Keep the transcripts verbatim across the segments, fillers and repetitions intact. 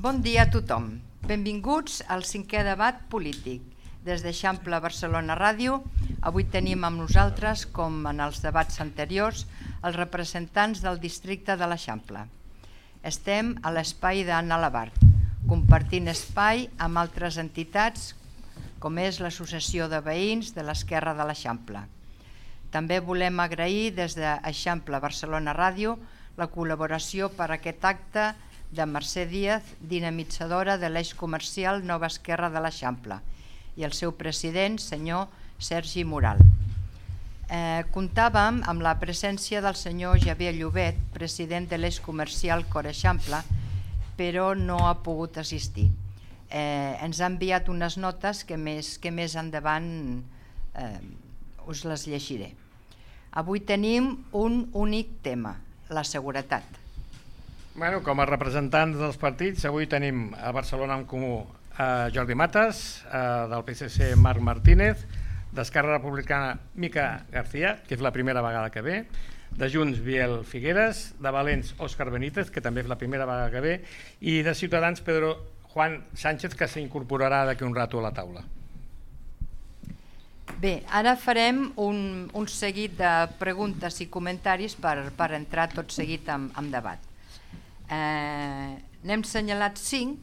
Bon dia a tothom. Benvinguts al cinquè debat polític. Des d'Eixample Barcelona Ràdio, avui tenim amb nosaltres, com en els debats anteriors, els representants del districte de l'Eixample. Estem a l'espai d'Anna Labart, compartint espai amb altres entitats, com és l'Associació de Veïns de l'Esquerra de l'Eixample. També volem agrair des d'Eixample Barcelona Ràdio la col·laboració per a aquest acte de Mercè Díaz, dinamitzadora de l'eix comercial Nova Esquerra de l'Eixample, i el seu president, senyor Sergi Moral. Eh, comptàvem amb la presència del senyor Javier Llobet, president de l'eix comercial Cor Eixample, però no ha pogut assistir. Eh, ens ha enviat unes notes que més, que més endavant eh, us les llegiré. Avui tenim un únic tema, la seguretat. Bueno, com a representants dels partits, avui tenim a Barcelona en Comú a Jordi Matas, del P S C Marc Martínez, d'Esquerra Republicana Mica García, que és la primera vegada que ve, de Junts Biel Figueres, de Valents Òscar Benítez, que també és la primera vegada que ve, i de Ciutadans Pedro Juan Sánchez, que s'incorporarà d'aquí un rato a la taula. Bé, ara farem un, un seguit de preguntes i comentaris per, per entrar tot seguit en, en debat. Eh, n'hem assenyalat cinc,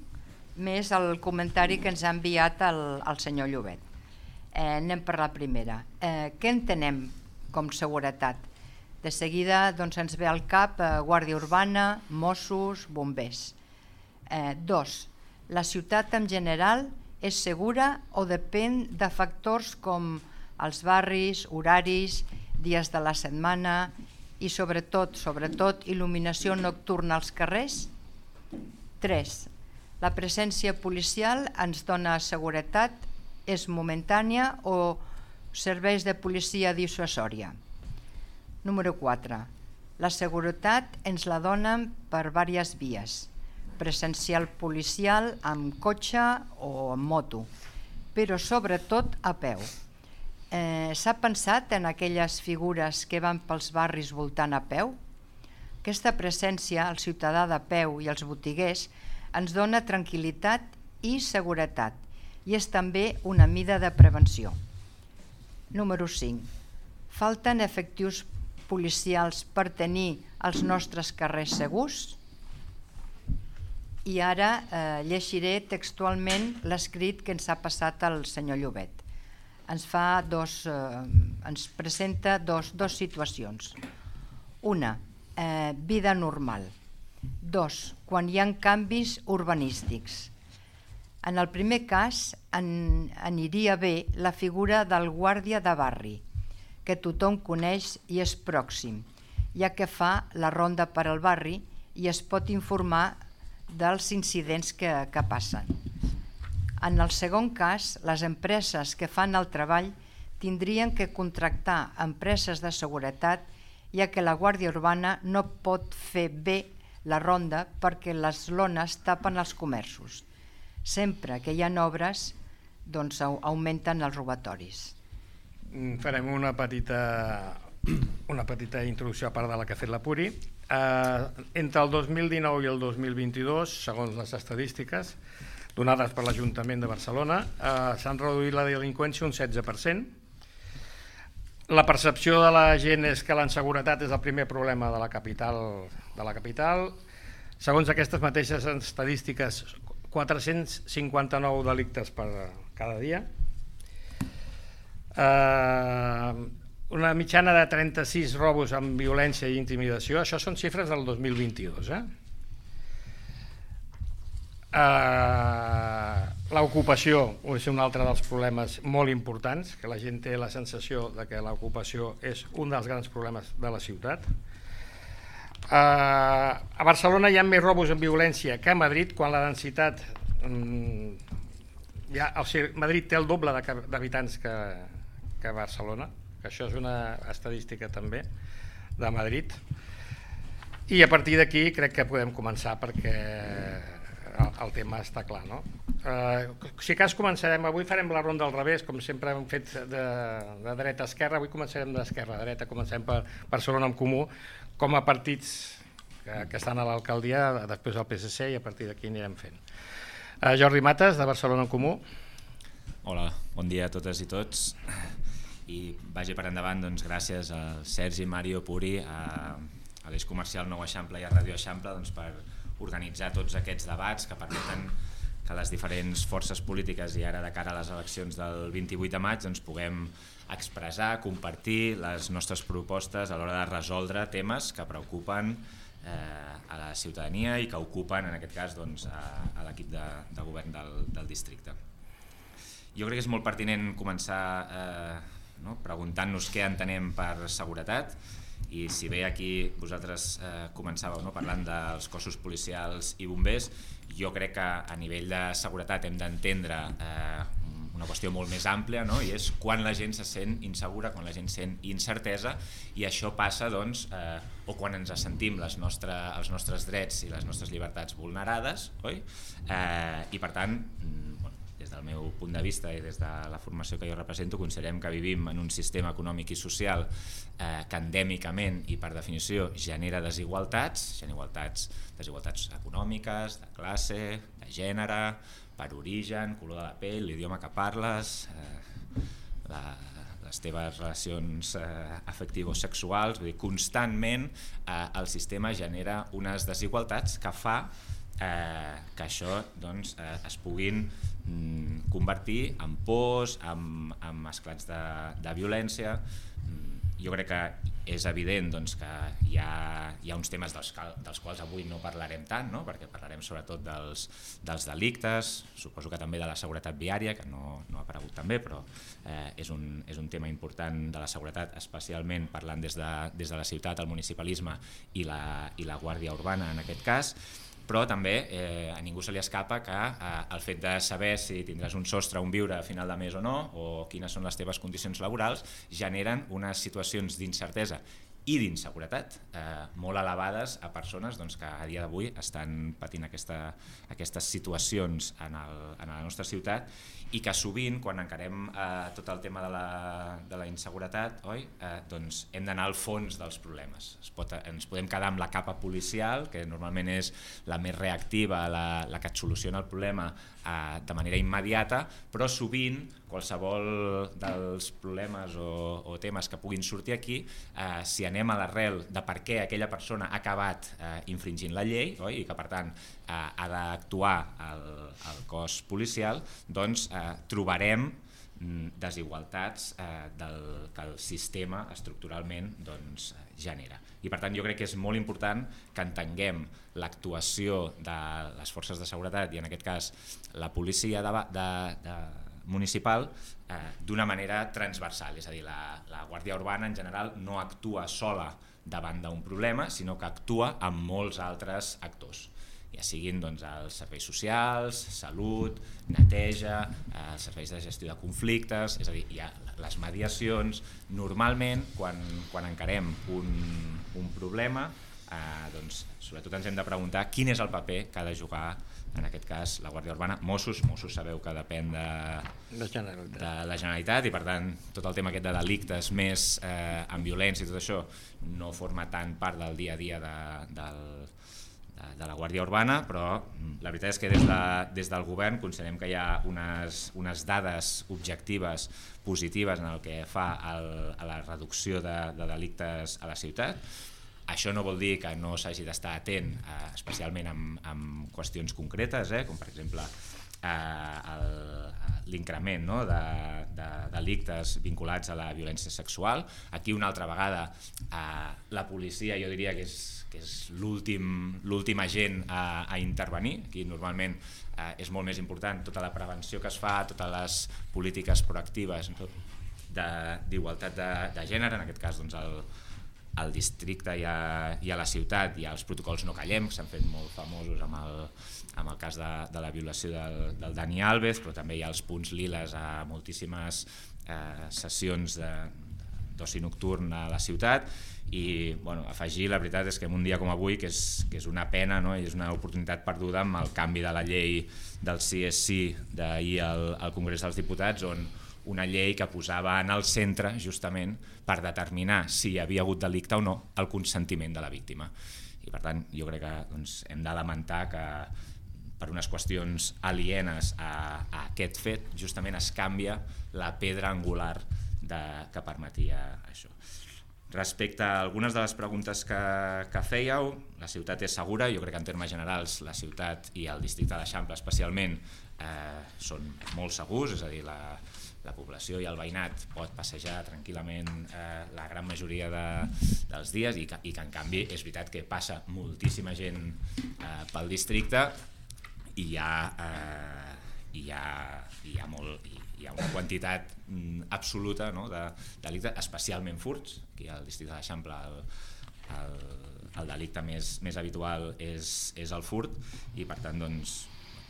més el comentari que ens ha enviat el, el senyor Llobet. Eh, anem per la primera. Eh, què entenem com seguretat? De seguida doncs, ens ve al cap eh, Guàrdia Urbana, Mossos, bombers. Eh, dos, la ciutat en general és segura o depèn de factors com els barris, horaris, dies de la setmana i sobretot, sobretot il·luminació nocturna als carrers? tres. La presència policial ens dona seguretat, és momentània o serveis de policia dissuasòria? Número quatre. La seguretat ens la donen per diverses vies, presencial policial amb cotxe o amb moto, però sobretot a peu. Eh, S'ha pensat en aquelles figures que van pels barris voltant a peu? Aquesta presència, el ciutadà de peu i els botiguers, ens dona tranquil·litat i seguretat i és també una mida de prevenció. Número cinc. Falten efectius policials per tenir els nostres carrers segurs? I ara eh, llegiré textualment l'escrit que ens ha passat el senyor Llobet. Ens, fa dos, eh, ens presenta dos, dos situacions. Una, eh, vida normal. Dos, quan hi ha canvis urbanístics. En el primer cas en, aniria bé la figura del guàrdia de barri, que tothom coneix i és pròxim, ja que fa la ronda per al barri i es pot informar dels incidents que, que passen. En el segon cas, les empreses que fan el treball tindrien que contractar empreses de seguretat, ja que la Guàrdia Urbana no pot fer bé la ronda perquè les lones tapen els comerços. Sempre que hi ha obres, doncs augmenten els robatoris. Farem una petita, una petita introducció a part de la que ha fet la Puri. Eh, entre el dos mil dinou i el dos mil vint-i-dos, segons les estadístiques donades per l'Ajuntament de Barcelona, eh, s'han reduït la delinqüència un setze per cent. La percepció de la gent és que la inseguretat és el primer problema de la capital. De la capital. Segons aquestes mateixes estadístiques, quatre-cents cinquanta-nou delictes per cada dia. Eh, una mitjana de trenta-sis robos amb violència i intimidació. Això són xifres del dos mil vint-i-dos. Eh? Uh, l'ocupació és un altre dels problemes molt importants, que la gent té la sensació de que l'ocupació és un dels grans problemes de la ciutat. Uh, a Barcelona hi ha més robos amb violència que a Madrid, quan la densitat um, ja, o sigui, Madrid té el doble d'habitants que, que Barcelona, que això és una estadística també de Madrid, i a partir d'aquí crec que podem començar perquè el tema està clar, no? Eh, si cas començarem, avui farem la ronda al revés, com sempre hem fet de, de dreta a esquerra, avui començarem d'esquerra a dreta, comencem per Barcelona en Comú, com a partits que, que estan a l'alcaldia, després al P S C, i a partir d'aquí anirem fent. Uh, Jordi Mates, de Barcelona en Comú. Hola, bon dia a totes i tots. I vagi per endavant, doncs, gràcies a Sergi, Mario, Puri, a, a l'Eix Comercial Nou Eixample i a Ràdio Eixample, doncs, per organitzar tots aquests debats que permeten que les diferents forces polítiques i ara de cara a les eleccions del vint-i-vuit de maig doncs, puguem expressar, compartir les nostres propostes a l'hora de resoldre temes que preocupen eh, a la ciutadania i que ocupen, en aquest cas, doncs, a, a l'equip de, de govern del, del districte. Jo crec que és molt pertinent començar eh, no? preguntant-nos què entenem per seguretat, i si bé aquí vosaltres eh, començàveu no? parlant dels cossos policials i bombers, jo crec que a nivell de seguretat hem d'entendre eh, una qüestió molt més àmplia, no? I és quan la gent se sent insegura, quan la gent sent incertesa, i això passa doncs, eh, o quan ens sentim les nostre, els nostres drets i les nostres llibertats vulnerades, oi? Eh, i per tant, des del meu punt de vista i des de la formació que jo represento, considerem que vivim en un sistema econòmic i social eh, que endèmicament i per definició genera desigualtats, desigualtats, desigualtats econòmiques, de classe, de gènere, per origen, color de la pell, l'idioma que parles, eh, la, les teves relacions eh, afectivo-sexuals, vull dir, constantment eh, el sistema genera unes desigualtats que fa Eh, que això doncs, eh, es puguin mm, convertir en pors, en, en esclats de, de violència. Mm, jo crec que és evident doncs, que hi ha, hi ha uns temes dels, dels quals avui no parlarem tant, no? Perquè parlarem sobretot dels, dels delictes, suposo que també de la seguretat viària, que no, no ha aparegut també, però eh, és, un, és un tema important de la seguretat, especialment parlant des de, des de la ciutat, el municipalisme i la, i la Guàrdia Urbana en aquest cas. Però també eh, a ningú se li escapa que eh, el fet de saber si tindràs un sostre on viure a final de mes o no, o quines són les teves condicions laborals, generen unes situacions d'incertesa i d'inseguretat eh, molt elevades a persones doncs, que a dia d'avui estan patint aquesta, aquestes situacions en, el, en la nostra ciutat, i que sovint, quan encarem eh, tot el tema de la, de la inseguretat, oi, eh, doncs hem d'anar al fons dels problemes. Es pot, ens podem quedar amb la capa policial, que normalment és la més reactiva, la, la que et soluciona el problema eh, de manera immediata, però sovint qualsevol dels problemes o, o temes que puguin sortir aquí, eh, si anem a l'arrel de per què aquella persona ha acabat eh, infringint la llei, oi, i que per tant eh, ha d'actuar el, el cos policial, doncs eh, trobarem desigualtats eh, del, que el sistema estructuralment doncs, genera. I per tant jo crec que és molt important que entenguem l'actuació de les forces de seguretat i en aquest cas la policia de, de, de municipal eh, d'una manera transversal, és a dir, la, la Guàrdia Urbana en general no actua sola davant d'un problema, sinó que actua amb molts altres actors, ja siguin doncs, els serveis socials, salut, neteja, eh, els serveis de gestió de conflictes, és a dir, hi ha les mediacions. Normalment, quan, quan encarem un, un problema, eh, doncs, sobretot ens hem de preguntar quin és el paper que ha de jugar, en aquest cas, la Guàrdia Urbana. Mossos, Mossos sabeu que depèn de, de, Generalitat. de la Generalitat i per tant tot el tema aquest de delictes més eh, amb violència i tot això no forma tant part del dia a dia de, del de la Guàrdia Urbana, però la veritat és que des, de, des del govern considerem que hi ha unes, unes dades objectives positives en el que fa el, a la reducció de, de delictes a la ciutat. Això no vol dir que no s'hagi d'estar atent, eh, especialment amb, amb qüestions concretes, eh, com per exemple eh, l'increment, no, de, de delictes vinculats a la violència sexual. Aquí una altra vegada eh, la policia jo diria que és que és l'últim agent a, a intervenir. Aquí normalment eh, és molt més important tota la prevenció que es fa, totes les polítiques proactives d'igualtat de, de, de gènere, en aquest cas doncs, el, al districte i a, i a la ciutat hi ha els protocols No Callem, que s'han fet molt famosos amb el, amb el cas de, de la violació del, del Dani Alves, però també hi ha els punts liles a moltíssimes eh, sessions de d'oci nocturn a la ciutat. I bueno, afegir, la veritat és que en un dia com avui, que és, que és una pena, no? I és una oportunitat perduda amb el canvi de la llei del C S C d'ahir al, al Congrés dels Diputats, on una llei que posava en el centre justament per determinar si hi havia hagut delicte o no el consentiment de la víctima. I per tant jo crec que doncs, hem de lamentar que per unes qüestions alienes a, a aquest fet justament es canvia la pedra angular de, que permetia això. Respecte a algunes de les preguntes que, que fèieu, la ciutat és segura, jo crec que en termes generals la ciutat i el districte d'Eixample especialment eh, són molt segurs, és a dir, la, la població i el veïnat pot passejar tranquil·lament eh, la gran majoria de, dels dies i que, i que en canvi és veritat que passa moltíssima gent eh, pel districte i hi ha, eh, hi ha, hi ha molt... Hi, hi ha una quantitat mm, absoluta, no, de delictes, especialment furts. Aquí al districte d'Eixample el, el, el delicte més, més habitual és, és el furt i per tant doncs,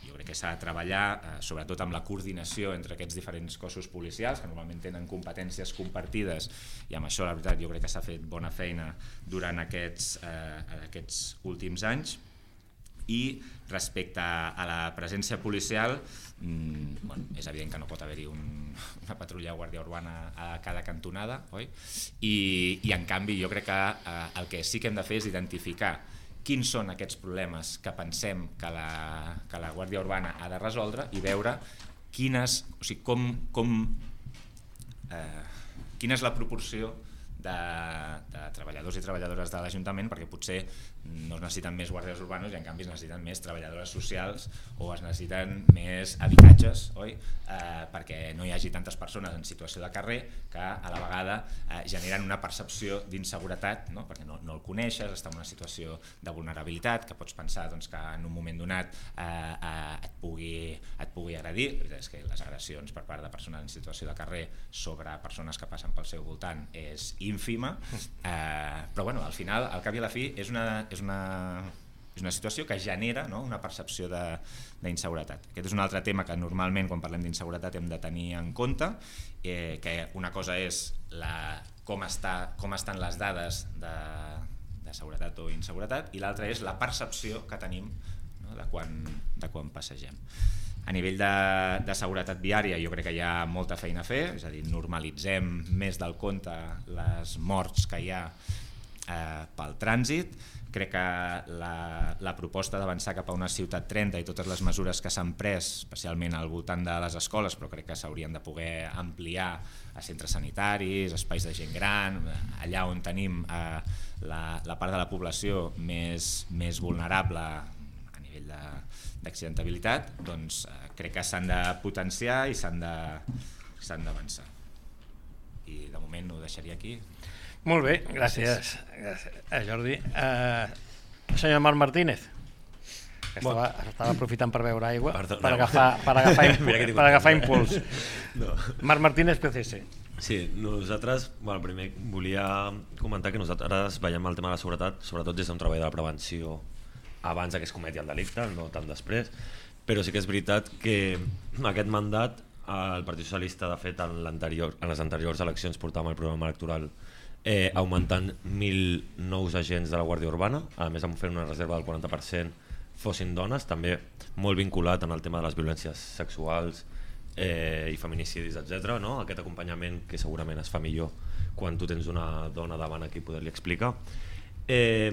jo crec que s'ha de treballar eh, sobretot amb la coordinació entre aquests diferents cossos policials que normalment tenen competències compartides i amb això la veritat jo crec que s'ha fet bona feina durant aquests, eh, aquests últims anys. I respecte a la presència policial, mmm, bueno, és evident que no pot haver-hi un, una patrulla de guàrdia urbana a cada cantonada, oi? I, i en canvi jo crec que eh, el que sí que hem de fer és identificar quins són aquests problemes que pensem que la, que la guàrdia urbana ha de resoldre i veure quines, o sigui, com, com, eh, quina és la proporció de, de treballadors i treballadores de l'Ajuntament, perquè potser no es necessiten més guàrdies urbanos i en canvi es necessiten més treballadores socials o es necessiten més habitatges, oi? Eh, perquè no hi hagi tantes persones en situació de carrer que a la vegada eh, generen una percepció d'inseguretat, no? Perquè no, no el coneixes, està en una situació de vulnerabilitat, que pots pensar doncs, que en un moment donat eh, eh, et, pugui, et pugui agredir. La veritat és que les agressions per part de persones en situació de carrer sobre persones que passen pel seu voltant és ínfima, eh, però bueno, al final, al cap i a la fi, és una és una, és una situació que genera, no, una percepció d'inseguretat. Aquest és un altre tema que normalment quan parlem d'inseguretat hem de tenir en compte, eh, que una cosa és la, com, està, com estan les dades de, de seguretat o inseguretat i l'altra és la percepció que tenim, no, de, quan, de quan passegem. A nivell de, de seguretat viària jo crec que hi ha molta feina a fer, és a dir, normalitzem més del compte les morts que hi ha eh, pel trànsit. Crec que la, la proposta d'avançar cap a una ciutat trenta i totes les mesures que s'han pres, especialment al voltant de les escoles, però crec que s'haurien de poder ampliar a centres sanitaris, espais de gent gran, allà on tenim eh, la, la part de la població més, més vulnerable a nivell d'accidentabilitat, doncs eh, crec que s'han de potenciar i s'han de, s'han d'avançar. I de moment ho deixaria aquí. Molt bé, gràcies, gràcies. Eh, Jordi. Eh, senyor Marc Martínez, que estava, estava aprofitant per beure aigua per, per, agafar, per, agafar, impuls, per agafar impuls. No. Marc Martínez, P C C. Sí, nosaltres, bueno, primer volia comentar que nosaltres veiem el tema de la seguretat, sobretot des d'un treball de la prevenció abans que es cometi el delicte, no tant després, però sí que és veritat que aquest mandat el Partit Socialista, de fet, en, en les anteriors eleccions portàvem el programa electoral Eh, augmentant mil nous agents de la Guàrdia Urbana, a més em fent una reserva del quaranta per cent fossin dones, també molt vinculat en el tema de les violències sexuals eh, i feminicidis, etcètera, no? Aquest acompanyament que segurament es fa millor quan tu tens una dona davant a qui poder-li explicar. Eh,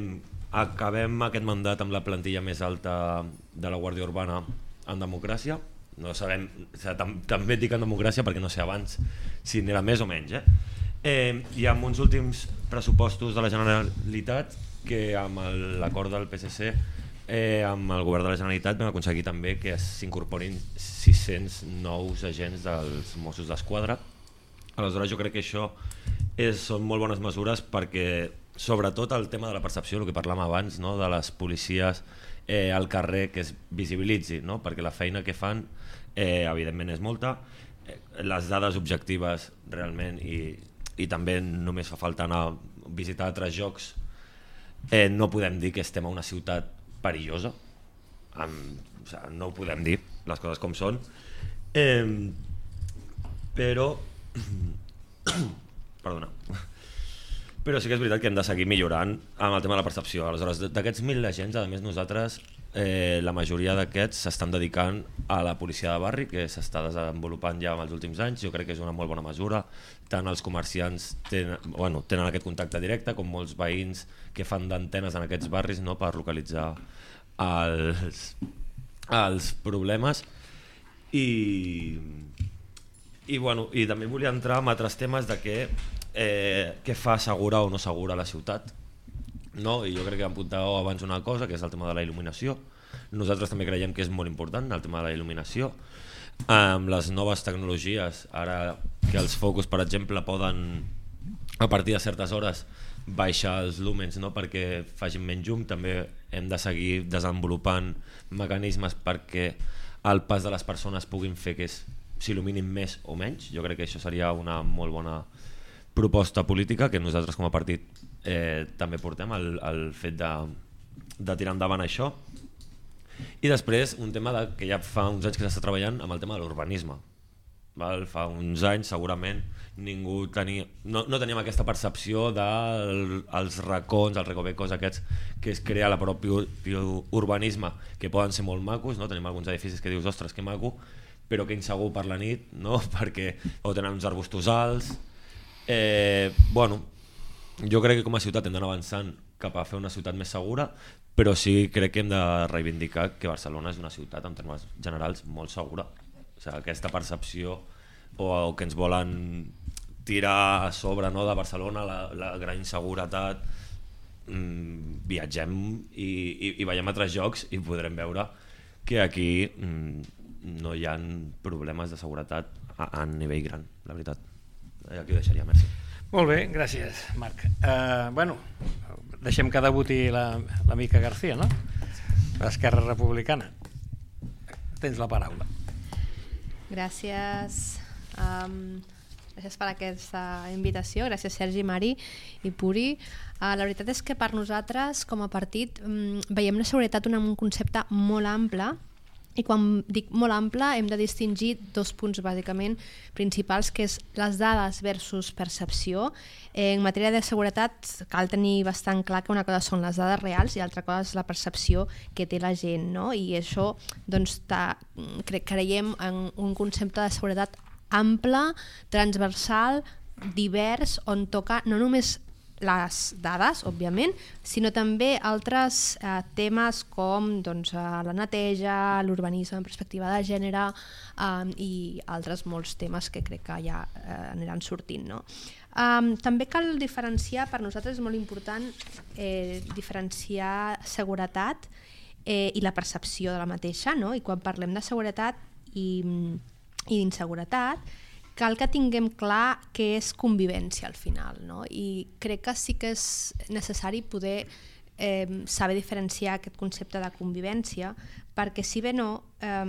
acabem aquest mandat amb la plantilla més alta de la Guàrdia Urbana en democràcia. No sabem, o sigui, tam també dic en democràcia perquè no sé abans si n'era més o menys, eh? Eh, i amb uns últims pressupostos de la Generalitat que amb l'acord del P S C eh, amb el govern de la Generalitat vam aconseguir també que s'incorporin sis-cents nous agents dels Mossos d'Esquadra. Aleshores jo crec que això és, són molt bones mesures perquè sobretot el tema de la percepció, el que parlàvem abans, no, de les policies eh, al carrer, que es visibilitzi, no? Perquè la feina que fan eh, evidentment és molta, eh, les dades objectives realment i i també només fa falta anar a visitar altres jocs, eh, no podem dir que estem a una ciutat perillosa, amb, o sigui, no ho podem dir, les coses com són, eh, però perdona però sí que és veritat que hem de seguir millorant amb el tema de la percepció. Aleshores, d'aquests mil agents, a més nosaltres eh, la majoria d'aquests s'estan dedicant a la policia de barri, que s'està desenvolupant ja en els últims anys. Jo crec que és una molt bona mesura. Tant els comerciants tenen, bueno, tenen aquest contacte directe com molts veïns que fan d'antenes en aquests barris, no?, per localitzar els, els problemes. I, i, bueno, i també volia entrar en altres temes de què, eh, què fa segura o no segura la ciutat. No? I jo crec que apuntàveu abans una cosa, que és el tema de la il·luminació. Nosaltres també creiem que és molt important el tema de la il·luminació. Amb les noves tecnologies, ara que els focus, per exemple, poden a partir de certes hores baixar els lúmens, no?, perquè facin menys llum, també hem de seguir desenvolupant mecanismes perquè el pas de les persones puguin fer que s'il·luminin més o menys. Jo crec que això seria una molt bona proposta política que nosaltres com a partit eh, també portem, el, el fet de, de tirar endavant això. I després un tema de, que ja fa uns anys que s'està treballant amb el tema de l'urbanisme. Fa uns anys segurament ningú tenia, no, no teníem aquesta percepció dels racons, els recovecos aquests que es crea la pròpia urbanisme, que poden ser molt macos, no? Tenim alguns edificis que dius, ostres, que maco, però que insegur per la nit, no? Perquè o tenen uns arbustos alts. Eh, bueno, jo crec que com a ciutat hem d'anar avançant cap a fer una ciutat més segura, però sí crec que hem de reivindicar que Barcelona és una ciutat en termes generals molt segura. O sigui, aquesta percepció o, o que ens volen tirar a sobre, no, de Barcelona, la, la gran inseguretat, mmm, viatgem i, i, i veiem altres jocs i podrem veure que aquí mmm, no hi ha problemes de seguretat a, a nivell gran, la veritat. Aquí ho deixaria, merci. Molt bé, gràcies, Marc. Uh, bueno, deixem que debuti la, la Mica García, no? L'Esquerra Republicana. Tens la paraula. Gràcies, um, gràcies per aquesta invitació, gràcies Sergi, Mari i Puri. Uh, la veritat és que per nosaltres com a partit um, veiem la seguretat un, un concepte molt ample, i quan dic molt ample hem de distingir dos punts bàsicament principals, que és les dades versus percepció. Eh, en matèria de seguretat cal tenir bastant clar que una cosa són les dades reals i l'altra cosa és la percepció que té la gent, no? I això doncs, ta, cre creiem en un concepte de seguretat ample, transversal, divers, on toca no només les dades, òbviament, sinó també altres eh, temes com doncs, eh, la neteja, l'urbanisme en perspectiva de gènere eh, i altres molts temes que crec que ja eh, aniran sortint. No? Um, també cal diferenciar, per nosaltres és molt important eh, diferenciar seguretat eh, i la percepció de la mateixa, no? I quan parlem de seguretat i, i d'inseguretat, cal que tinguem clar què és convivència al final, no? I crec que sí que és necessari poder eh, saber diferenciar aquest concepte de convivència, perquè si bé no, eh,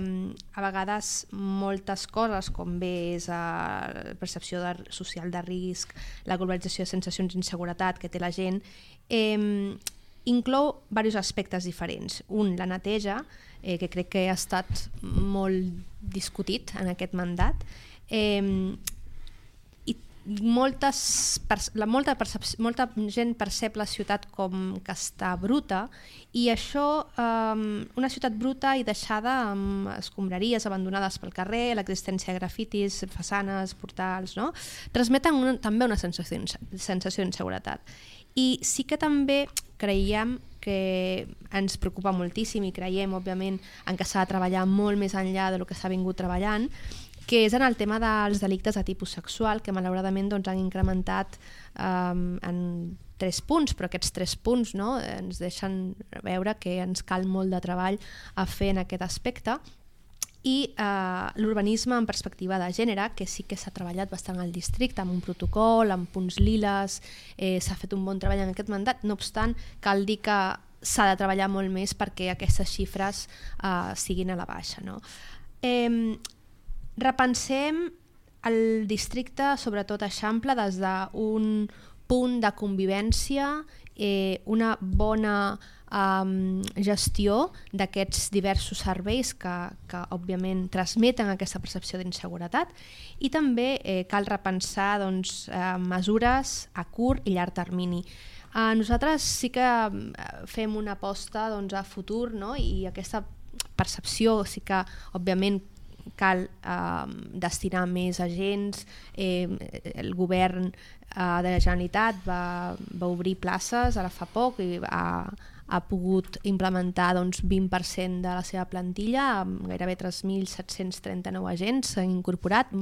a vegades moltes coses, com bé és la percepció de, social de risc, la globalització de sensacions d'inseguretat que té la gent, eh, inclou diversos aspectes diferents. Un, la neteja, eh, que crec que ha estat molt discutit en aquest mandat, Eh, i moltes, la, molta, molta gent percep la ciutat com que està bruta i això, eh, una ciutat bruta i deixada amb escombraries abandonades pel carrer, l'existència de grafitis, façanes, portals, no? Transmeten una, també una sensació, sensació d'inseguretat. I sí que també creiem que ens preocupa moltíssim i creiem, òbviament, en que s'ha de treballar molt més enllà del que s'ha vingut treballant, que és en el tema dels delictes de tipus sexual, que malauradament doncs, han incrementat um, en tres punts, però aquests tres punts, no, ens deixen veure que ens cal molt de treball a fer en aquest aspecte. I uh, l'urbanisme en perspectiva de gènere, que sí que s'ha treballat bastant al districte, amb un protocol, amb punts liles, eh, s'ha fet un bon treball en aquest mandat, no obstant, cal dir que s'ha de treballar molt més perquè aquestes xifres uh, siguin a la baixa. No? Eh, repensem el districte, sobretot Eixample, des d'un punt de convivència, eh, una bona um, gestió d'aquests diversos serveis que, que òbviament transmeten aquesta percepció d'inseguretat, i també eh, cal repensar doncs, eh, mesures a curt i llarg termini. Uh, nosaltres sí que fem una aposta doncs, a futur, no? I aquesta percepció sí que òbviament cal eh, destinar més agents. Eh, el govern eh, de la Generalitat va, va obrir places ara fa poc i ha, ha pogut implementar doncs, vint per cent de la seva plantilla, amb gairebé tres mil set-cents trenta-nou agents s'han incorporat,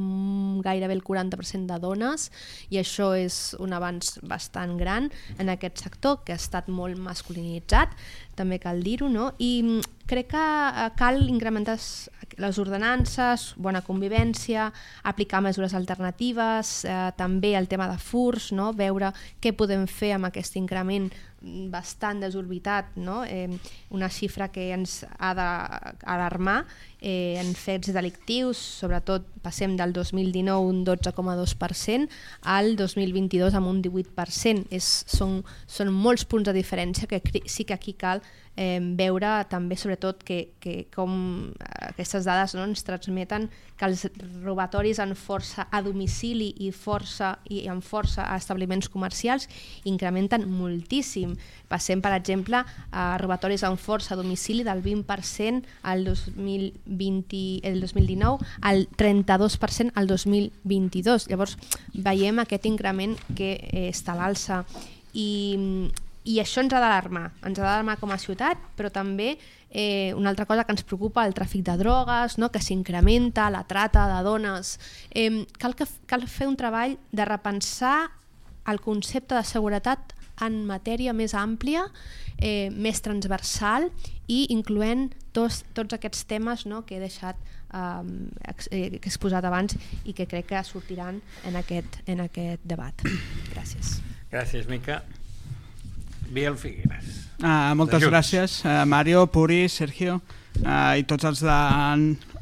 gairebé el quaranta per cent de dones, i això és un avanç bastant gran en aquest sector que ha estat molt masculinitzat, també cal dir-ho, no? I crec que cal incrementar les ordenances, bona convivència, aplicar mesures alternatives, eh, també el tema de furs, no? Veure què podem fer amb aquest increment bastant desorbitat, no? Eh, una xifra que ens ha d'alarmar eh, en fets delictius, sobretot passem del dos mil dinou un dotze coma dos per cent al dos mil vint-i-dos amb un divuit per cent. És, són, són molts punts de diferència que sí que aquí cal eh, veure també sobretot que, que com aquestes dades, no, ens transmeten que els robatoris en força a domicili i, força, i en força a establiments comercials incrementen moltíssim. Passem, per exemple, a robatoris en força a domicili del vint per cent al dos mil vint, el dos mil dinou al trenta-dos per cent al dos mil vint-i-dos. Llavors veiem aquest increment que eh, està a l'alça, i, i això ens ha d'alarmar, ens ha d'alarmar com a ciutat, però també eh, una altra cosa que ens preocupa, el tràfic de drogues, no? Que s'incrementa, la trata de dones. Eh, cal, que, cal fer un treball de repensar el concepte de seguretat en matèria més àmplia, eh, més transversal, i incloent tots, tots aquests temes, no, que he deixat eh, ex, eh, que he exposat abans i que crec que sortiran en aquest, en aquest debat. Gràcies. Gràcies, Mica. Biel Figueres. Uh, moltes gràcies, uh, Mario, Puri, Sergio, uh, i tots els de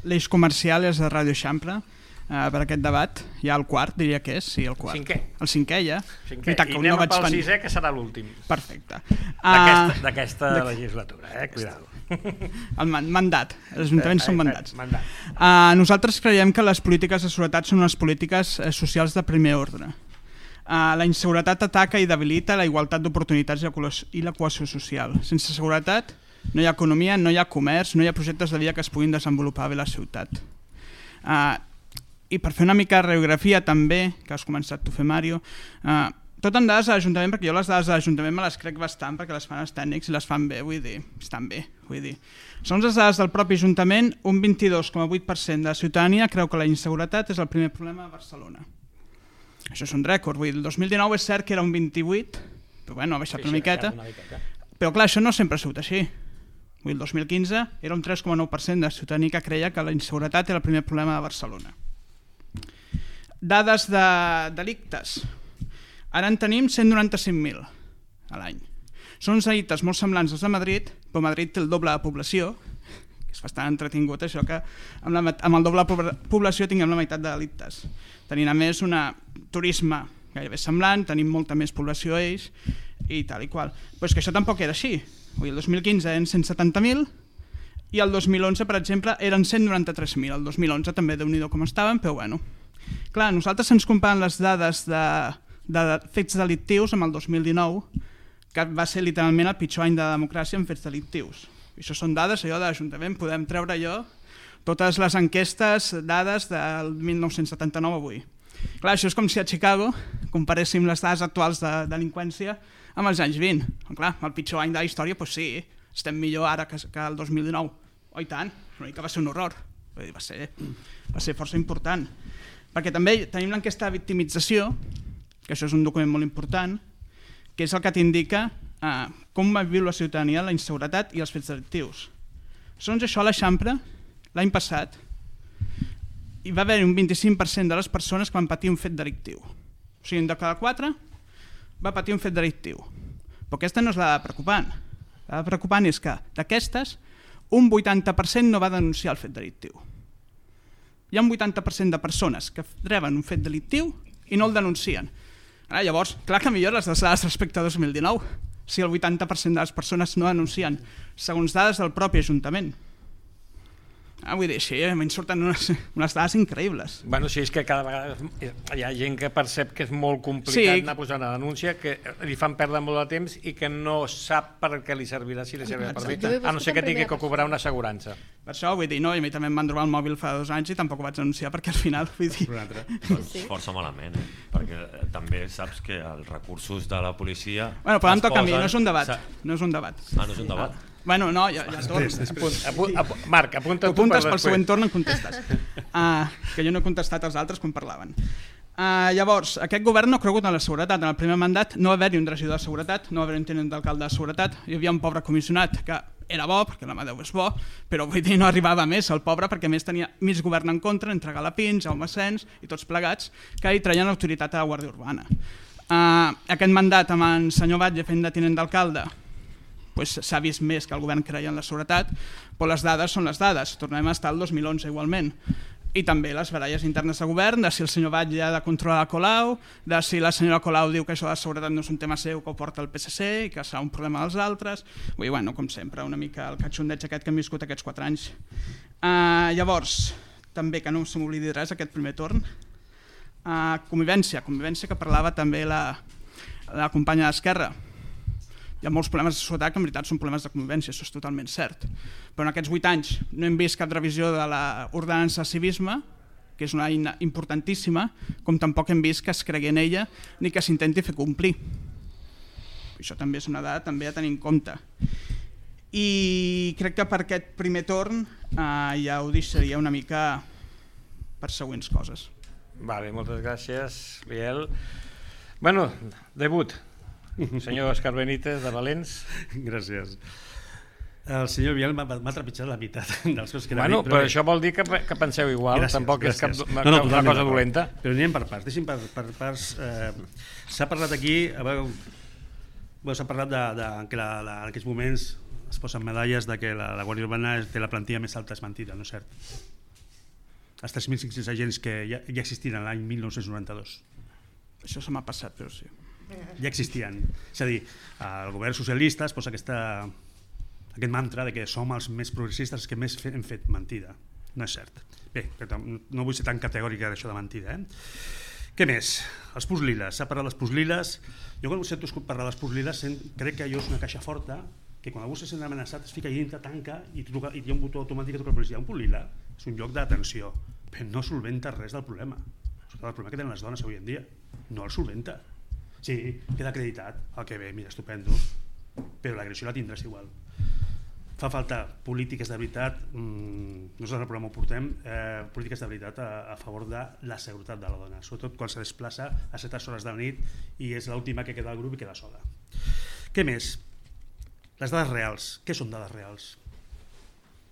l'Eix Comercial i els de Ràdio Eixample. Uh, per aquest debat, ja el quart, diria que és, sí, el quart. Cinquè. El cinquè, ja. Cinquè. I anem no pel sisè, que serà l'últim. Perfecte. D'aquesta uh, legislatura, eh? Cuidado. El man mandat, els ajuntaments eh, són mandats. Eh, mandat. Uh, nosaltres creiem que les polítiques de seguretat són unes polítiques uh, socials de primer ordre. Uh, la inseguretat ataca i debilita la igualtat d'oportunitats i la cohesió social. Sense seguretat no hi ha economia, no hi ha comerç, no hi ha projectes de vida que es puguin desenvolupar bé a la ciutat. Uh, I per fer una mica de radiografia també, que has començat tu a fer, Mario, eh, tot en dades de l'Ajuntament, perquè jo les dades de l'Ajuntament me les crec bastant perquè les fan els tècnics i les fan bé, vull dir, estan bé, vull dir. Segons les dades del propi Ajuntament, un vint-i-dos coma vuit per cent de la ciutadania creu que la inseguretat és el primer problema a Barcelona. Això és un rècord, vull dir, el dos mil dinou és cert que era un vint-i-vuit, però bueno, ha baixat sí, una, miqueta, una miqueta, però clar, això no sempre ha sigut així. Vull dir, el dos mil quinze era un tres coma nou per cent de la ciutadania que creia que la inseguretat era el primer problema de Barcelona. Dades de delictes. Ara en tenim cent noranta-cinc mil a l'any. Són uns delictes molt semblants als de Madrid, però Madrid té el doble de població, que és bastant entretingut això, que amb, la, amb el doble de població tinguem la meitat de delictes. Tenim a més un turisme gairebé semblant, tenim molta més població ells i tal i qual. Però és que això tampoc era així. El dos mil quinze eren cent setanta mil i el dos mil onze, per exemple, eren cent noranta-tres mil. El dos mil onze també déu-n'hi-do com estaven, però bueno. Clar, nosaltres ens comparem les dades de, de fets delictius amb el dos mil dinou, que va ser literalment el pitjor any de democràcia en fets delictius. I això són dades allò de l'Ajuntament, podem treure allò, totes les enquestes, dades del mil nou-cents setanta-nou avui. Clar, això és com si a Chicago comparéssim les dades actuals de delinqüència amb els anys vint. Clar, el pitjor any de la història, doncs sí, estem millor ara que, que el dos mil dinou. Oh, i tant, l'únic que va ser un horror, va ser, va ser força important. Perquè també tenim l'enquesta de victimització, que això és un document molt important, que és el que t'indica eh, com va viure la ciutadania la inseguretat i els fets delictius. Segons això, a l'Eixample, l'any passat, hi va haver un vint-i-cinc per cent de les persones que van patir un fet delictiu. O sigui, de cada quatre va patir un fet delictiu. Però aquesta no és la preocupant. La preocupant és que d'aquestes, un vuitanta per cent no va denunciar el fet delictiu. Hi ha un vuitanta per cent de persones que reben un fet delictiu i no el denuncien. Ara, llavors, clar que millor les dades respecte a dos mil dinou. si el vuitanta per cent de les persones no denuncien, segons dades del propi Ajuntament? Ah, vull dir, sí, a mi em surten unes, unes dades increïbles. Bueno, sí, és que cada vegada hi ha gent que percep que és molt complicat Sí. anar posant una denúncia, que li fan perdre molt de temps i que no sap per què li servirà, si li servirà per Exacte. bé, a no ser que tingui que cobrar una assegurança. Per això, vull dir, no, i a mi també em van trobar el mòbil fa dos anys i tampoc ho vaig denunciar perquè al final, vull dir... Un altre. Doncs força malament, eh? Perquè eh, també saps que els recursos de la policia... Bueno, però em es toca a mi, posen- no és un debat. sa- No és un debat. Ah, no és un debat? Bueno, no, ja, ja torno. Apunt, apunt, apunt, Marc, apunta tu per Apuntes pel després. següent torn en contestes. Uh, que jo no he contestat als altres quan parlaven. Uh, llavors, aquest govern no ha cregut en la seguretat. En el primer mandat no va haver-hi un regidor de seguretat, no va haver-hi un tinent d'alcalde de seguretat, hi havia un pobre comissionat que era bo, perquè la mà Déu és bo, però vull dir, no arribava més el pobre perquè a més tenia mig govern en contra, entre Galapins, Jaume Sens i tots plegats, que hi traien autoritat a la Guàrdia Urbana. Uh, aquest mandat amb en senyor Batlle fent de tinent d'alcalde pues, s'ha vist més que el govern creia en la seguretat, però les dades són les dades. Tornem a estar al dos mil onze igualment. I també les baralles internes de govern, de si el senyor Batlle ha de controlar la Colau, de si la senyora Colau diu que això de la seguretat no és un tema seu, que ho porta el P S C i que serà un problema dels altres. Vull dir, bueno, com sempre, una mica el catxondeig aquest que hem viscut aquests quatre anys. Uh, llavors, també que no se m'oblidi res aquest primer torn, uh, convivència, convivència que parlava també la, la companya d'Esquerra. Hi ha molts problemes de societat que en veritat són problemes de convivència, això és totalment cert. Però en aquests vuit anys no hem vist cap revisió de l'ordenança de civisme, que és una eina importantíssima, com tampoc hem vist que es cregui en ella ni que s'intenti fer complir. Això també és una dada també a tenir en compte. I crec que per aquest primer torn eh, ja ho deixaria una mica per següents coses. Vale, moltes gràcies, Biel. Bueno, debut. Senyor Òscar Benítez, de Valents. Gràcies. El senyor Biel m'ha m'ha trepitjat la meitat dels coses que era Bueno, dit, però això vol dir que, que penseu igual, Gràcies, tampoc és cap, gràcies. una, No, no, una totalment cosa d'acord. dolenta. Però anem per parts, deixi'm per, per parts. Eh, s'ha parlat aquí, a veure, bueno, s'ha parlat de, de que la, la, en aquests moments es posen medalles de que la, la Guàrdia Urbana té la plantilla més alta, és mentida, no és cert. Els tres mil cinc-cents agents que ja, ja existien l'any mil nou-cents noranta-dos. Això se m'ha passat, però sí. Ja existien. És a dir, el govern socialista es posa aquesta, aquest mantra de que som els més progressistes que més hem fet mentida. No és cert. Bé, no vull ser tan categòrica d'això de mentida. Eh? Què més? Els pus liles. S'ha parlat dels pus liles. Jo quan sento parlar dels pus liles crec que allò és una caixa forta que quan algú se sent amenaçat es fica dintre, tanca i, truca, i hi ha un botó automàtic que truca la policia. Un pus lila és un lloc d'atenció, però no solventa res del problema. El problema que tenen les dones avui en dia no el solventa. Sí, queda acreditat, el que bé, mira, estupendo, però l'agressió la tindràs igual. Fa falta polítiques de veritat, mmm, nosaltres al programa ho portem, eh, polítiques de veritat a, a favor de la seguretat de la dona, sobretot quan se desplaça a certes hores de la nit i és l'última que queda al grup i queda sola. Què més? Les dades reals. Què són dades reals?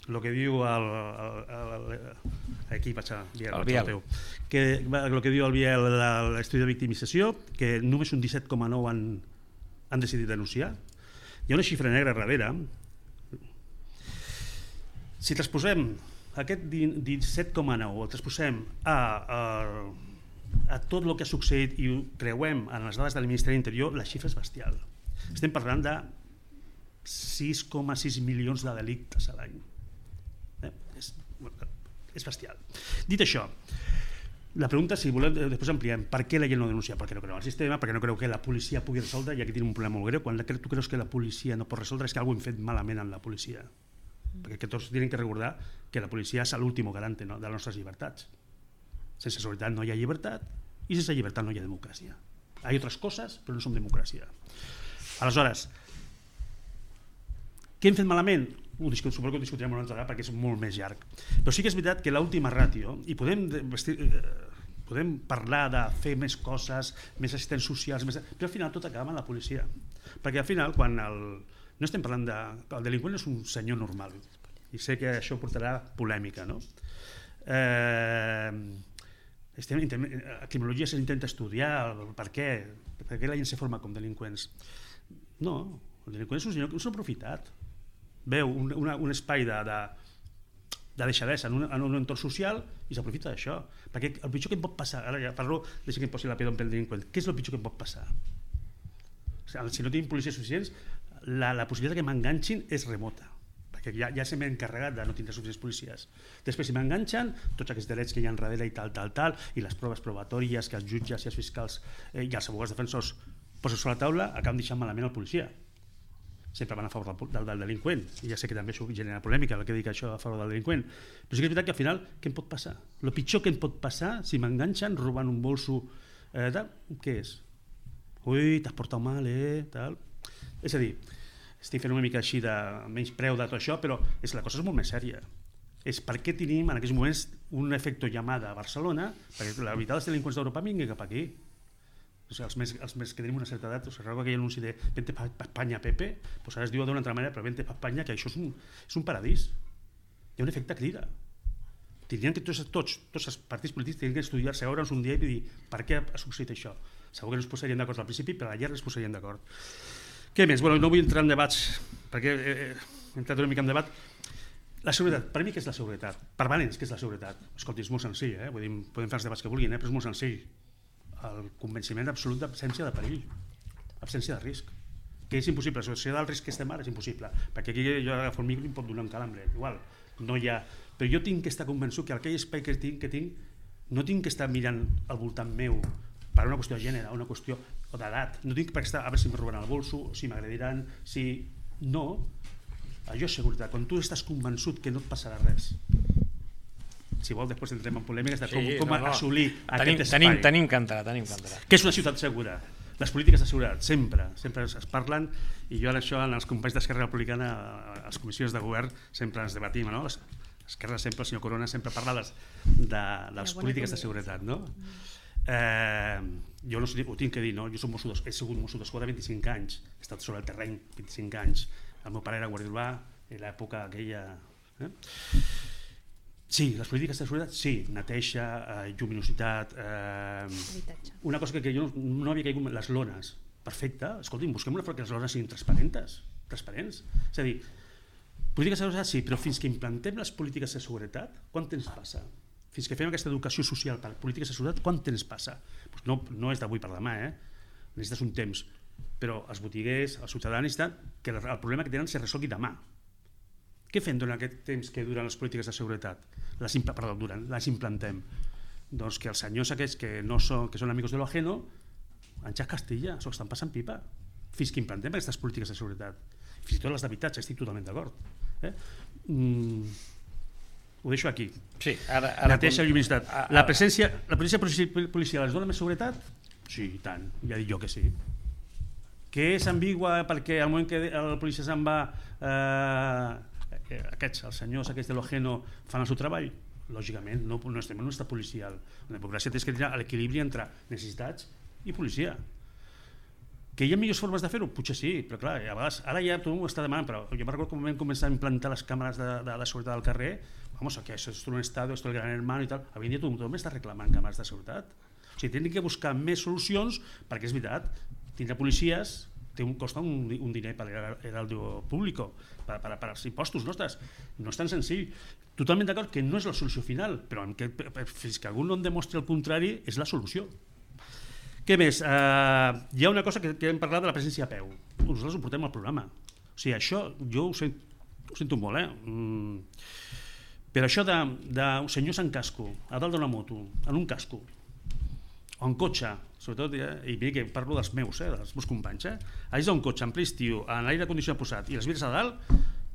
El que diu el, el, el, el aquí vaig a Biel, el Biel. teu, que el que diu el Biel de l'estudi de victimització, que només un disset coma nou han, han decidit denunciar. Hi ha una xifra negra darrere. Si transposem aquest disset coma nou, el transposem a, a, a tot el que ha succeït i ho creuem en les dades del Ministeri de l'Interior, la xifra és bestial. Estem parlant de sis coma sis milions de delictes a l'any. Eh? És, és bestial. Dit això, la pregunta, si volem, després ampliem, per què la gent no denuncia? Perquè no creu en el sistema, perquè no creu que la policia pugui resoldre, i aquí tenim un problema molt greu. Quan tu creus que la policia no pot resoldre és que alguna cosa hem fet malament amb la policia. Perquè que tots tenen que recordar que la policia és l'últim garant, no?, de les nostres llibertats. Sense seguretat no hi ha llibertat i sense llibertat no hi ha democràcia. Hi ha altres coses, però no som democràcia. Aleshores, què hem fet malament? Ho suposo que ho discutirem una altra vegada perquè és molt més llarg. Però sí que és veritat que l'última ràtio, i podem, vestir, eh, podem parlar de fer més coses, més assistents socials, més... però al final tot acaba amb la policia. Perquè al final, quan el... no estem parlant de... el delinqüent és un senyor normal, i sé que això portarà polèmica, no? Eh... Estem... a criminologia s'intenta estudiar el per què, per què la gent se forma com delinqüents. No, el delinqüent és un senyor que s'ha aprofitat. Veu un, una, un espai de, de, de deixadesa en un, en un entorn social i s'aprofita d'això. Perquè el pitjor que em pot passar, ara ja parlo, deixa que em posi la pedra pel delinqüent, què és el pitjor que em pot passar? Si no tenim policies suficients, la, la possibilitat que m'enganxin és remota, perquè ja, ja se m'he encarregat de no tindre suficients policies. Després, si m'enganxen, tots aquests drets que hi ha darrere i tal, tal, tal, i les proves probatòries que els jutges i els fiscals eh, i els advocats defensors posen sobre la taula, acaben deixant malament el policia. Sempre van a favor del, del, del delinqüent, i ja sé que també això genera polèmica el que dic això a favor del delinqüent, però sí que és veritat que al final què em pot passar? El pitjor que em pot passar si m'enganxen robant un bolso, eh, tal, què és? Ui, t'has portat mal, eh, tal. És a dir, estic fent una mica així de menys preu de tot això, però és, la cosa és molt més sèria. És per què tenim en aquests moments un efecte llamada a Barcelona, perquè la veritat els delinqüents d'Europa vinguin cap aquí. O sigui, els, més, els més que tenim una certa edat, o sigui, aquell anunci de vente pa Espanya, Pepe, doncs ara es diu d'una altra manera, però vente pa Espanya, que això és un, és un paradís. Hi ha un efecte crida. Tindrien que tots, tots, tots els partits polítics tindrien que estudiar-se, veure'ns un dia i dir per què ha succeït això. Segur que no es posarien d'acord al principi, però a la llarga es posarien d'acord. Què més? Bueno, no vull entrar en debats, perquè he, he entrat una mica en debat. La seguretat, per mi què és la seguretat? Per Valens, què és la seguretat? Escolti, és molt senzill, eh? Vull dir, podem fer els debats que vulguin, eh? Però és molt senzill. El convenciment absolut d'absència de perill, absència de risc, que és impossible. La societat del risc que estem ara és impossible, perquè aquí jo agafo el micro i em pot donar un calambre, igual, no hi ha... Però jo tinc que estar convençut que aquell espai que tinc, que tinc no tinc que estar mirant al voltant meu per una qüestió de gènere, una qüestió d'edat, no tinc per estar a veure si em robaran el bolso, si m'agrediran, si... No, allò és seguretat, quan tu estàs convençut que no et passarà res. Si vol, després entrem en polèmiques de com, sí, com no, no. assolir tenim, aquest espai. Tenim, tenim que entrar, tenim que entrar. Què és una ciutat segura? Les polítiques de seguretat, sempre, sempre es parlen, i jo això en els companys d'Esquerra Republicana, a les comissions de govern, sempre ens debatim, no? Esquerra sempre, el senyor Corona, sempre parla de, de les polítiques de seguretat, no? Eh, jo no ho tinc que dir, no? Jo soc mosso, he sigut mosso d'esquadra vint-i-cinc anys, he estat sobre el terreny vint-i-cinc anys, el meu pare era guàrdia urbà, en l'època aquella... Eh? Sí, les polítiques de seguretat, sí, neteja, eh, lluminositat, eh, una cosa que, que jo no, no havia caigut, les lones, perfecte, escolti'm, busquem una forma que les lones siguin transparents, transparents, és a dir, polítiques de seguretat sí, però fins que implantem les polítiques de seguretat, quant temps passa? Fins que fem aquesta educació social per polítiques de seguretat, quant temps passa? Pues no, no és d'avui per demà, eh? Necessites un temps, però els botiguers, els ciutadans necessiten que el, el problema que tenen se resolgui demà. Què fem durant aquest temps que duren les polítiques de seguretat? Les, perdó, duren, les implantem. Doncs que els senyors aquests que, no són, que són amics de lo ajeno, Àngel Castilla, s'ho estan passant pipa. Fins que implantem aquestes polítiques de seguretat. Fins i tot les d'habitatge, estic totalment d'acord. Eh? Mm, ho deixo aquí. Sí, ara, ara neteja i lluminositat. La presència, la presència policial ens dona més seguretat? Sí, i tant, ja dic jo que sí. Que és ambigua perquè al moment que el policia se'n va... Eh, aquests, els senyors aquests de l'Ojeno fan el seu treball? Lògicament, no, no estem en un estat policial. La democràcia té que tenir l'equilibri entre necessitats i policia. Que hi ha millors formes de fer-ho? Potser sí, però clar, a vegades, ara ja tothom ho està demanant, però jo me'n recordo quan vam començar a implantar les càmeres de, de, de seguretat al carrer, vamos, que això és un estat, esto el gran hermano i tal, avui dia tothom, tothom està reclamant càmeres de seguretat. O sigui, tenen que buscar més solucions, perquè és veritat, tindre policies té un, costa un, un diner per l'heraldo públic, per, per, per als impostos nostres. No és tan senzill. Totalment d'acord que no és la solució final, però que, fins que algú no en demostri el contrari, és la solució. Què més? Uh, hi ha una cosa que, que hem parlat de la presència a peu. Nosaltres ho portem al programa. O sigui, això jo ho, sent, ho sento molt, eh? Mm. Però això de, de senyors en casco, a dalt d'una moto, en un casco, o en cotxe, sobretot, eh, i mira que parlo dels meus, eh, dels meus companys, eh, allà un cotxe en ple estiu, amb l'aire condicionat posat i les vidres a dalt,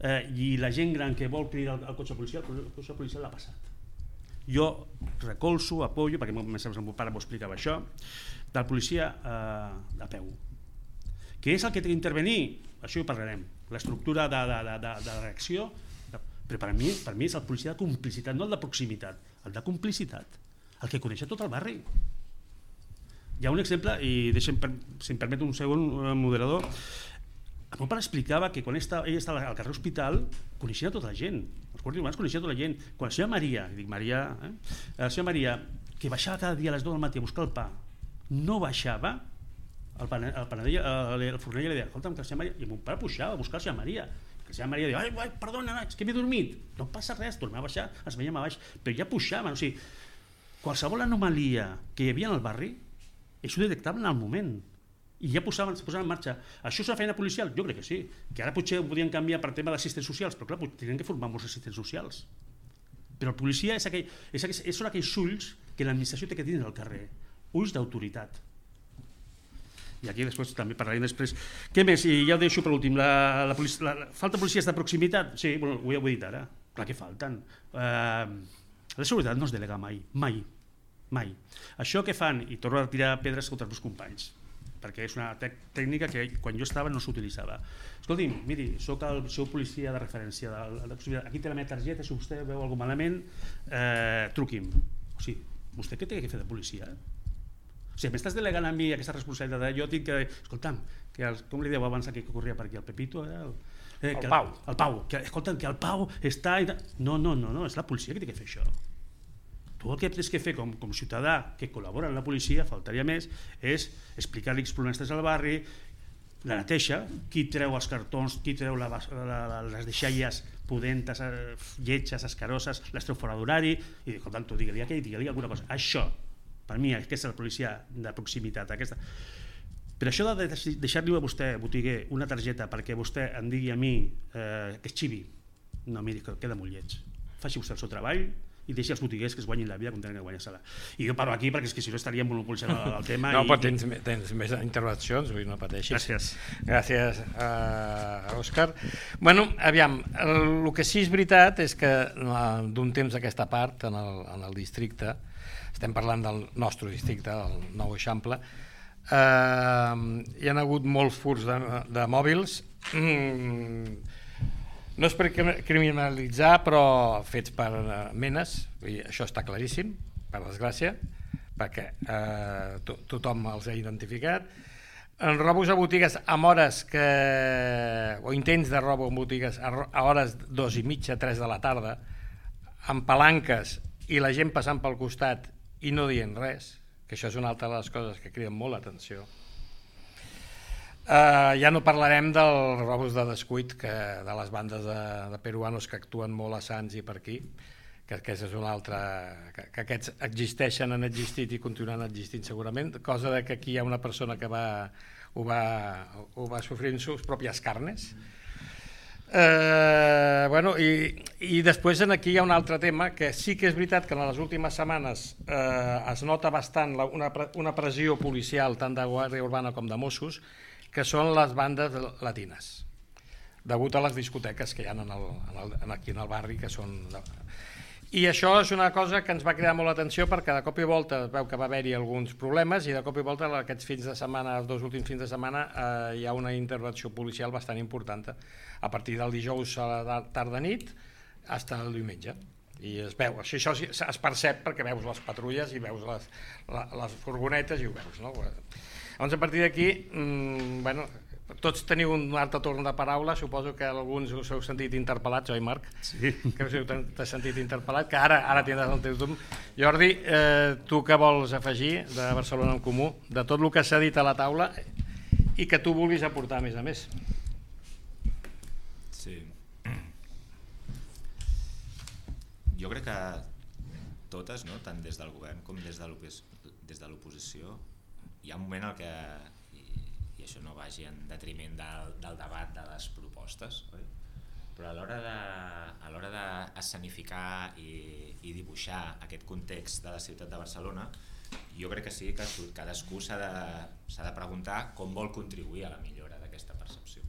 eh, i la gent gran que vol cridar el, el cotxe policial, el cotxe policial l'ha passat. Jo recolzo, apoyo, perquè més o menys el meu pare m'ho explicava això, del policia eh, a peu. Què és el que té d'intervenir? Això ho parlarem. L'estructura de, de, de, de, de reacció, de, però per mi, per mi és el policia de complicitat, no el de proximitat, el de complicitat, el que coneix tot el barri. Hi ha un exemple, i deixem, si em permet un segon moderador, el meu pare explicava que quan ell estava al carrer Hospital coneixia tota la gent, els guàrdies urbans coneixia tota la gent. Quan la senyora Maria, dic Maria, eh? la senyora Maria, que baixava cada dia a les deu del matí a buscar el pa, no baixava, el, pane, el panader, el, el forner li deia, escolta'm, que la senyora Maria, i mon pare pujava a buscar la senyora Maria, que la senyora Maria deia, ai, ai, perdona, és que m'he dormit, no passa res, tornava a baixar, es veiem a baix, però ja pujaven, o sigui, qualsevol anomalia que hi havia en el barri, això ho detectaven al moment. i ja posaven, es posaven en marxa. Això és una feina policial? Jo crec que sí, que ara potser ho podien canviar per tema d'assistents socials, però clar, tenen que formar molts assistents socials. Però el policia és aquell, és aquell, són aquells ulls que l'administració té que tenir al carrer, ulls d'autoritat. I aquí després també parlarem després. Què més? I ja ho deixo per últim. La, la, policia, la, la falta policies de proximitat? Sí, bueno, ho he dit ara. Clar que falten. Uh, la seguretat no es delega mai, mai, mai. Això que fan, i torno a tirar pedres contra els meus companys, perquè és una tècnica que quan jo estava no s'utilitzava. Escolti'm, miri, soc el seu policia de referència, de, de, de, aquí té la meva targeta, si vostè veu alguna malament, eh, truqui'm. O sigui, vostè què té que fer de policia? O sigui, m'estàs delegant a mi aquesta responsabilitat, jo tinc que... Escolta'm, que el, com li dieu abans aquí que corria per aquí, el Pepito, eh, el, eh, el que Pau. El, el Pau, que, escolta'm, que el Pau està... No, no, no, no, és la policia que té que fer això. Tu el que tens que fer com, com ciutadà que col·labora amb la policia, faltaria més, és explicar-li els problemes al barri, la neteja, qui treu els cartons, qui treu la, la, la, les deixalles pudentes, eh, lletges, escaroses, les treu fora d'horari, i dic, tant, tu digue-li aquell, digue-li alguna cosa. Això, per mi, aquesta és la policia de proximitat. Aquesta. Per això de deixar-li a vostè, botiguer, una targeta perquè vostè em digui a mi eh, que és xivi, no, miri, queda molt lleig. Faci vostè el seu treball, i deixi els botiguers que es guanyin la vida com tenen que guanyar-se-la. I jo paro aquí perquè és que si no estaríem monopolitzant el, el tema. No, i, però tens, tens més intervencions, vull no pateixis. Gràcies. Gràcies, uh, Òscar. Bueno, aviam, el, el que sí és veritat és que d'un temps d'aquesta part, en el, en el districte, estem parlant del nostre districte, el Nou Eixample, uh, hi ha hagut molts furts de, de mòbils, mm, no és per criminalitzar, però fets per menes, i això està claríssim, per desgràcia, perquè eh, to tothom els ha identificat. En robos a botigues amb hores que... o intents de robo en botigues a hores dos i mitja, tres de la tarda, amb palanques i la gent passant pel costat i no dient res, que això és una altra de les coses que criden molt l'atenció. Uh, ja no parlarem dels robos de descuit que, de les bandes de, de peruanos que actuen molt a Sants i per aquí, que, que és una altra, que, que aquests existeixen, han existit i continuen existint segurament, cosa de que aquí hi ha una persona que va, ho, va, ho va sofrir en sus pròpies carnes. Uh, bueno, i, i després aquí hi ha un altre tema que sí que és veritat que en les últimes setmanes uh, es nota bastant la, una, una pressió policial tant de Guàrdia Urbana com de Mossos, que són les bandes latines, degut a les discoteques que hi ha en el, en el, aquí en el barri, que són... I això és una cosa que ens va cridar molt l'atenció perquè de cop i volta es veu que va haver-hi alguns problemes i de cop i volta aquests fins de setmana, els dos últims fins de setmana, eh, hi ha una intervenció policial bastant important a partir del dijous a la tarda nit fins al diumenge. I es veu, això, això es percep perquè veus les patrulles i veus les, les furgonetes i ho veus, no? Llavors, a partir d'aquí, mmm, bueno, tots teniu un altre torn de paraula, suposo que alguns us heu sentit interpel·lats, oi Marc? Sí. Que us heu sentit interpel·lat, que ara, ara tindràs el teu torn. Jordi, eh, tu què vols afegir de Barcelona en Comú, de tot el que s'ha dit a la taula i que tu vulguis aportar a més a més? Sí. Jo crec que totes, no? Tant des del govern com des de l'oposició, hi ha un moment en què, i, i això no vagi en detriment del, del debat de les propostes, oi? Però a l'hora de, a l'hora d'escenificar i, i dibuixar aquest context de la ciutat de Barcelona, jo crec que sí que cadascú s'ha de, s'ha de preguntar com vol contribuir a la millora d'aquesta percepció.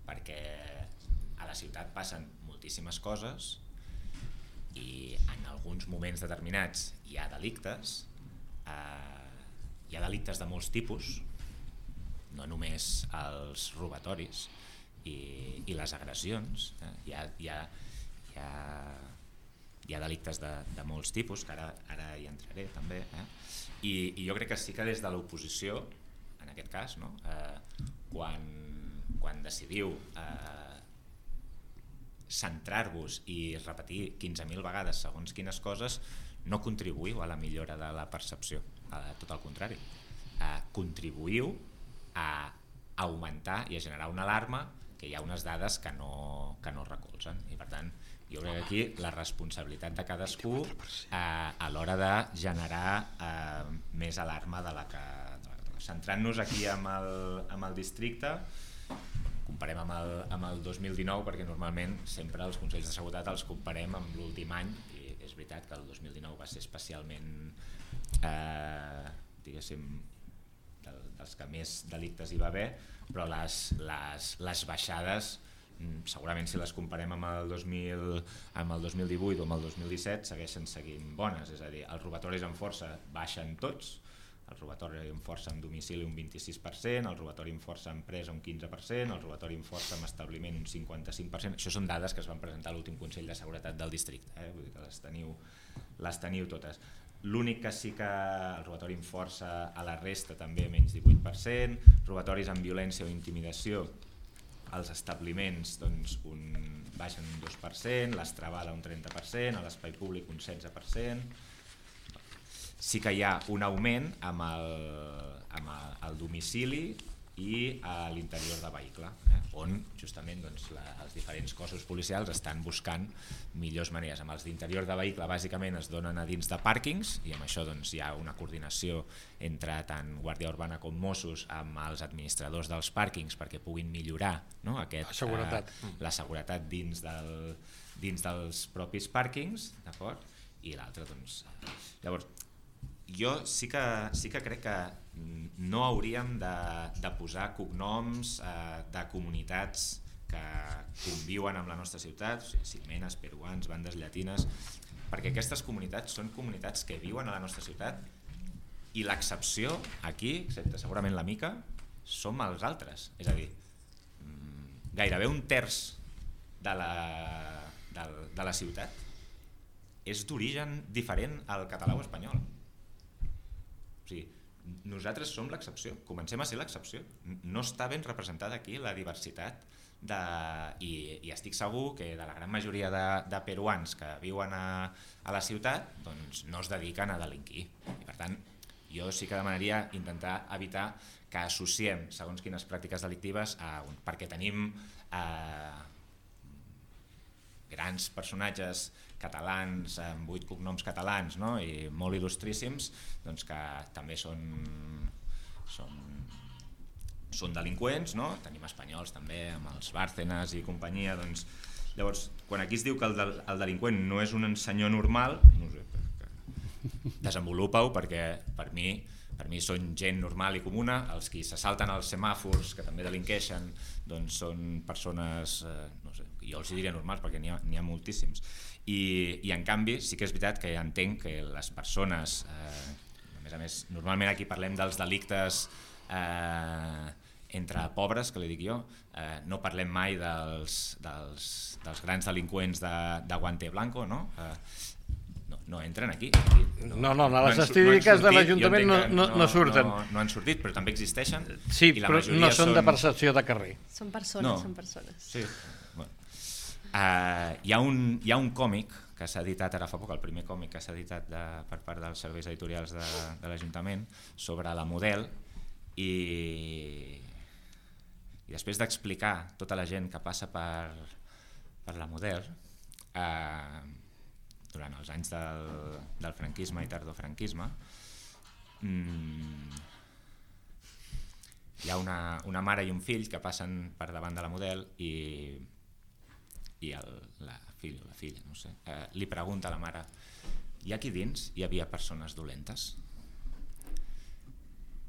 Perquè a la ciutat passen moltíssimes coses i en alguns moments determinats hi ha delictes, eh, hi ha delictes de molts tipus, no només els robatoris i, i les agressions, eh? hi, ha, hi, ha, hi, ha, hi ha delictes de, de molts tipus, que ara, ara hi entraré també, eh? I, i jo crec que sí que des de l'oposició, en aquest cas, no? eh, quan, quan decidiu eh, centrar-vos i repetir quinze mil vegades segons quines coses, no contribuïu a la millora de la percepció, eh, tot el contrari. Eh, contribuïu a augmentar i a generar una alarma que hi ha unes dades que no, que no recolzen. I per tant, jo crec que aquí la responsabilitat de cadascú eh, a l'hora de generar eh, més alarma de la que, de la que centrant-nos aquí amb el, amb el districte, comparem amb el, amb el dos mil dinou, perquè normalment sempre els Consells de Seguretat els comparem amb l'últim any, i és veritat que el dos mil dinou va ser especialment, eh, diguéssim, del, dels que més delictes hi va haver, però les, les, les baixades, segurament si les comparem amb el, dos mil, amb el dos mil divuit o amb el dos mil disset, segueixen seguint bones, és a dir, els robatoris amb força baixen tots, el robatori amb força en domicili un vint-i-sis per cent, el robatori amb força en empresa un quinze per cent, el robatori amb força en establiment un cinquanta-cinc per cent. Això són dades que es van presentar a l'últim Consell de Seguretat del districte, eh? Vull dir que les teniu, les teniu totes. L'únic que sí que el robatori amb força a la resta també menys divuit per cent, robatoris amb violència o intimidació als establiments doncs, un, baixen un dos per cent, l'estrabala un trenta per cent, a l'espai públic un setze per cent. Sí que hi ha un augment amb el, amb el, el domicili i a l'interior de vehicle, eh, on justament doncs, la, els diferents cossos policials estan buscant millors maneres. Amb els d'interior de vehicle bàsicament es donen a dins de pàrquings i amb això doncs, hi ha una coordinació entre tant Guàrdia Urbana com Mossos amb els administradors dels pàrquings perquè puguin millorar, no, aquest, la seguretat, eh, la seguretat dins, del, dins dels propis pàrquings, d'acord? I l'altre, doncs... Llavors, jo sí que, sí que crec que no hauríem de, de posar cognoms eh, de comunitats que conviuen amb la nostra ciutat, o sigui, silmenes, peruans, bandes llatines, perquè aquestes comunitats són comunitats que viuen a la nostra ciutat i l'excepció aquí, excepte segurament la Mica, som els altres. És a dir, gairebé un terç de la, de, de la ciutat és d'origen diferent al català o espanyol. O sigui, nosaltres som l'excepció, comencem a ser l'excepció. No està ben representada aquí la diversitat de, i, i estic segur que de la gran majoria de, de peruans que viuen a, a la ciutat doncs no es dediquen a delinquir. I per tant, jo sí que demanaria intentar evitar que associem segons quines pràctiques delictives a un, perquè tenim eh, grans personatges catalans amb vuit cognoms catalans, no? I molt il·lustríssims, doncs que també són, són, són delinqüents, no? Tenim espanyols també amb els Bárcenas i companyia. Doncs, llavors, quan aquí es diu que el, del, el delinqüent no és un senyor normal, no sé, desenvolupa-ho perquè per mi per mi són gent normal i comuna. Els qui se salten als semàfors, que també delinqueixen, doncs són persones, eh, no sé, jo els diria normals perquè n'hi ha, n'hi ha moltíssims. I, I en canvi sí que és veritat que entenc que les persones, eh, a més a més, normalment aquí parlem dels delictes eh, entre pobres, que li dic jo, eh, no parlem mai dels, dels, dels grans delinqüents de, de guante blanco, no? Eh, no entren aquí. No, no, no les estadístiques no de l'Ajuntament no, no, no surten. No, no han sortit, però també existeixen. Sí, i la però no són, són de percepció de carrer. Són persones, no. són persones. Sí. Bueno. Uh, hi, ha un, hi ha un còmic que s'ha editat ara fa poc, el primer còmic que s'ha editat de, per part dels serveis editorials de, de l'Ajuntament sobre la Model i, i després d'explicar tota la gent que passa per, per la Model, eh, durant els anys del, del franquisme i tardofranquisme, mmm, hi ha una, una mare i un fill que passen per davant de la Model i, i el, la fill o la filla, no sé, eh, li pregunta a la mare: i aquí dins hi havia persones dolentes?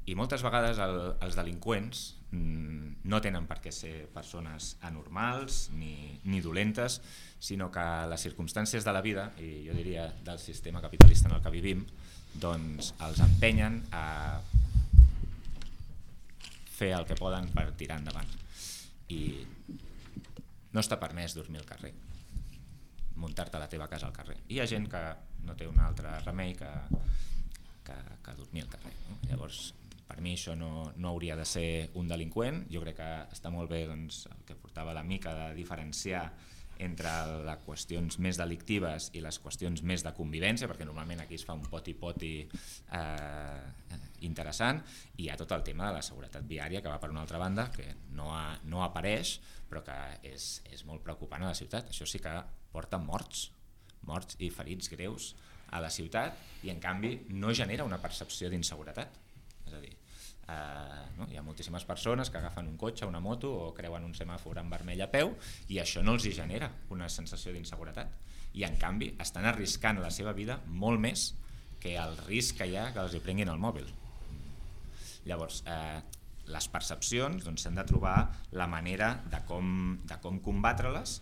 I moltes vegades el, els delinqüents mmm, no tenen per què ser persones anormals ni, ni dolentes, sinó que les circumstàncies de la vida, i jo diria del sistema capitalista en el que vivim, doncs els empenyen a fer el que poden per tirar endavant. I no està permès dormir al carrer, muntar-te a la teva casa al carrer. I hi ha gent que no té un altre remei que, que, que dormir al carrer, no? Llavors, per mi això no, no hauria de ser un delinqüent. Jo crec que està molt bé doncs, el que portava la Mica de diferenciar entre les qüestions més delictives i les qüestions més de convivència, perquè normalment aquí es fa un poti-poti eh, interessant, i hi ha tot el tema de la seguretat viària que va per una altra banda, que no, ha, no apareix, però que és, és molt preocupant a la ciutat. Això sí que porta morts, morts i ferits greus a la ciutat, i en canvi no genera una percepció d'inseguretat. És a dir, Eh, no? Hi ha moltíssimes persones que agafen un cotxe, una moto o creuen un semàfor en vermell a peu i això no els hi genera una sensació d'inseguretat i en canvi estan arriscant la seva vida molt més que el risc que hi ha que els hi prenguin el mòbil. Llavors, eh, les percepcions s'han doncs, de trobar la manera de com, de com combatre-les,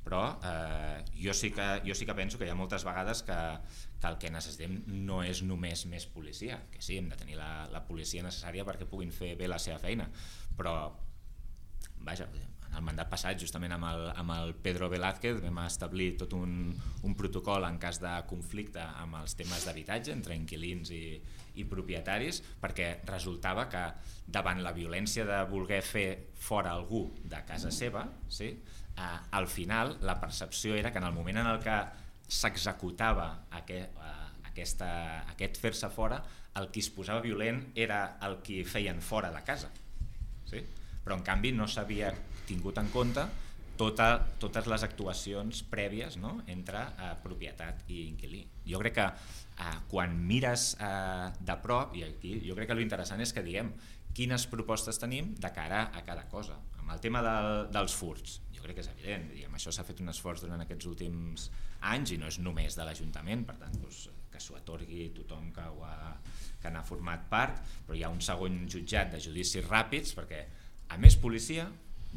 però eh, jo, sí que, jo sí que penso que hi ha moltes vegades que, que el que necessitem no és només més policia, que sí, hem de tenir la, la policia necessària perquè puguin fer bé la seva feina, però vaja, en el mandat passat justament amb el, amb el Pedro Velázquez vam establir tot un, un protocol en cas de conflicte amb els temes d'habitatge entre inquilins i, i propietaris, perquè resultava que davant la violència de voler fer fora algú de casa seva, sí, eh, al final la percepció era que en el moment en el que s'executava aquest, eh, aquesta, aquest fer-se fora, el qui es posava violent era el qui feien fora de casa, sí? Però en canvi no s'havia tingut en compte tota, totes les actuacions prèvies, no? Entre eh, propietat i inquilí. Jo crec que eh, quan mires eh, de prop, i aquí jo crec que l'interessant és que diguem quines propostes tenim de cara a cada cosa. Amb el tema del, dels furts, jo crec que és evident, diguem, això s'ha fet un esforç durant aquests últims anys i no és només de l'Ajuntament, per tant doncs, que s'ho atorgui tothom que, ho ha, que n'ha format part, però hi ha un segon jutjat de judicis ràpids perquè a més policia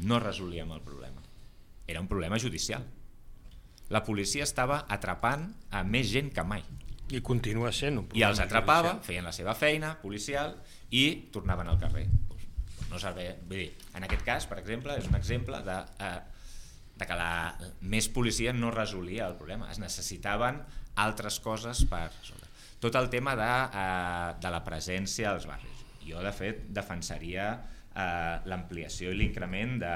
no resolíem el problema, era un problema judicial. La policia estava atrapant a més gent que mai. I continua sent un I els atrapava, judicial. feien la seva feina policial i tornaven al carrer. No servei, vull dir, en aquest cas, per exemple, és un exemple de, eh, de que la més policia no resolia el problema, es necessitaven altres coses per resoldre. Tot el tema de, eh, de la presència als barris. Jo, de fet, defensaria eh, l'ampliació i l'increment de,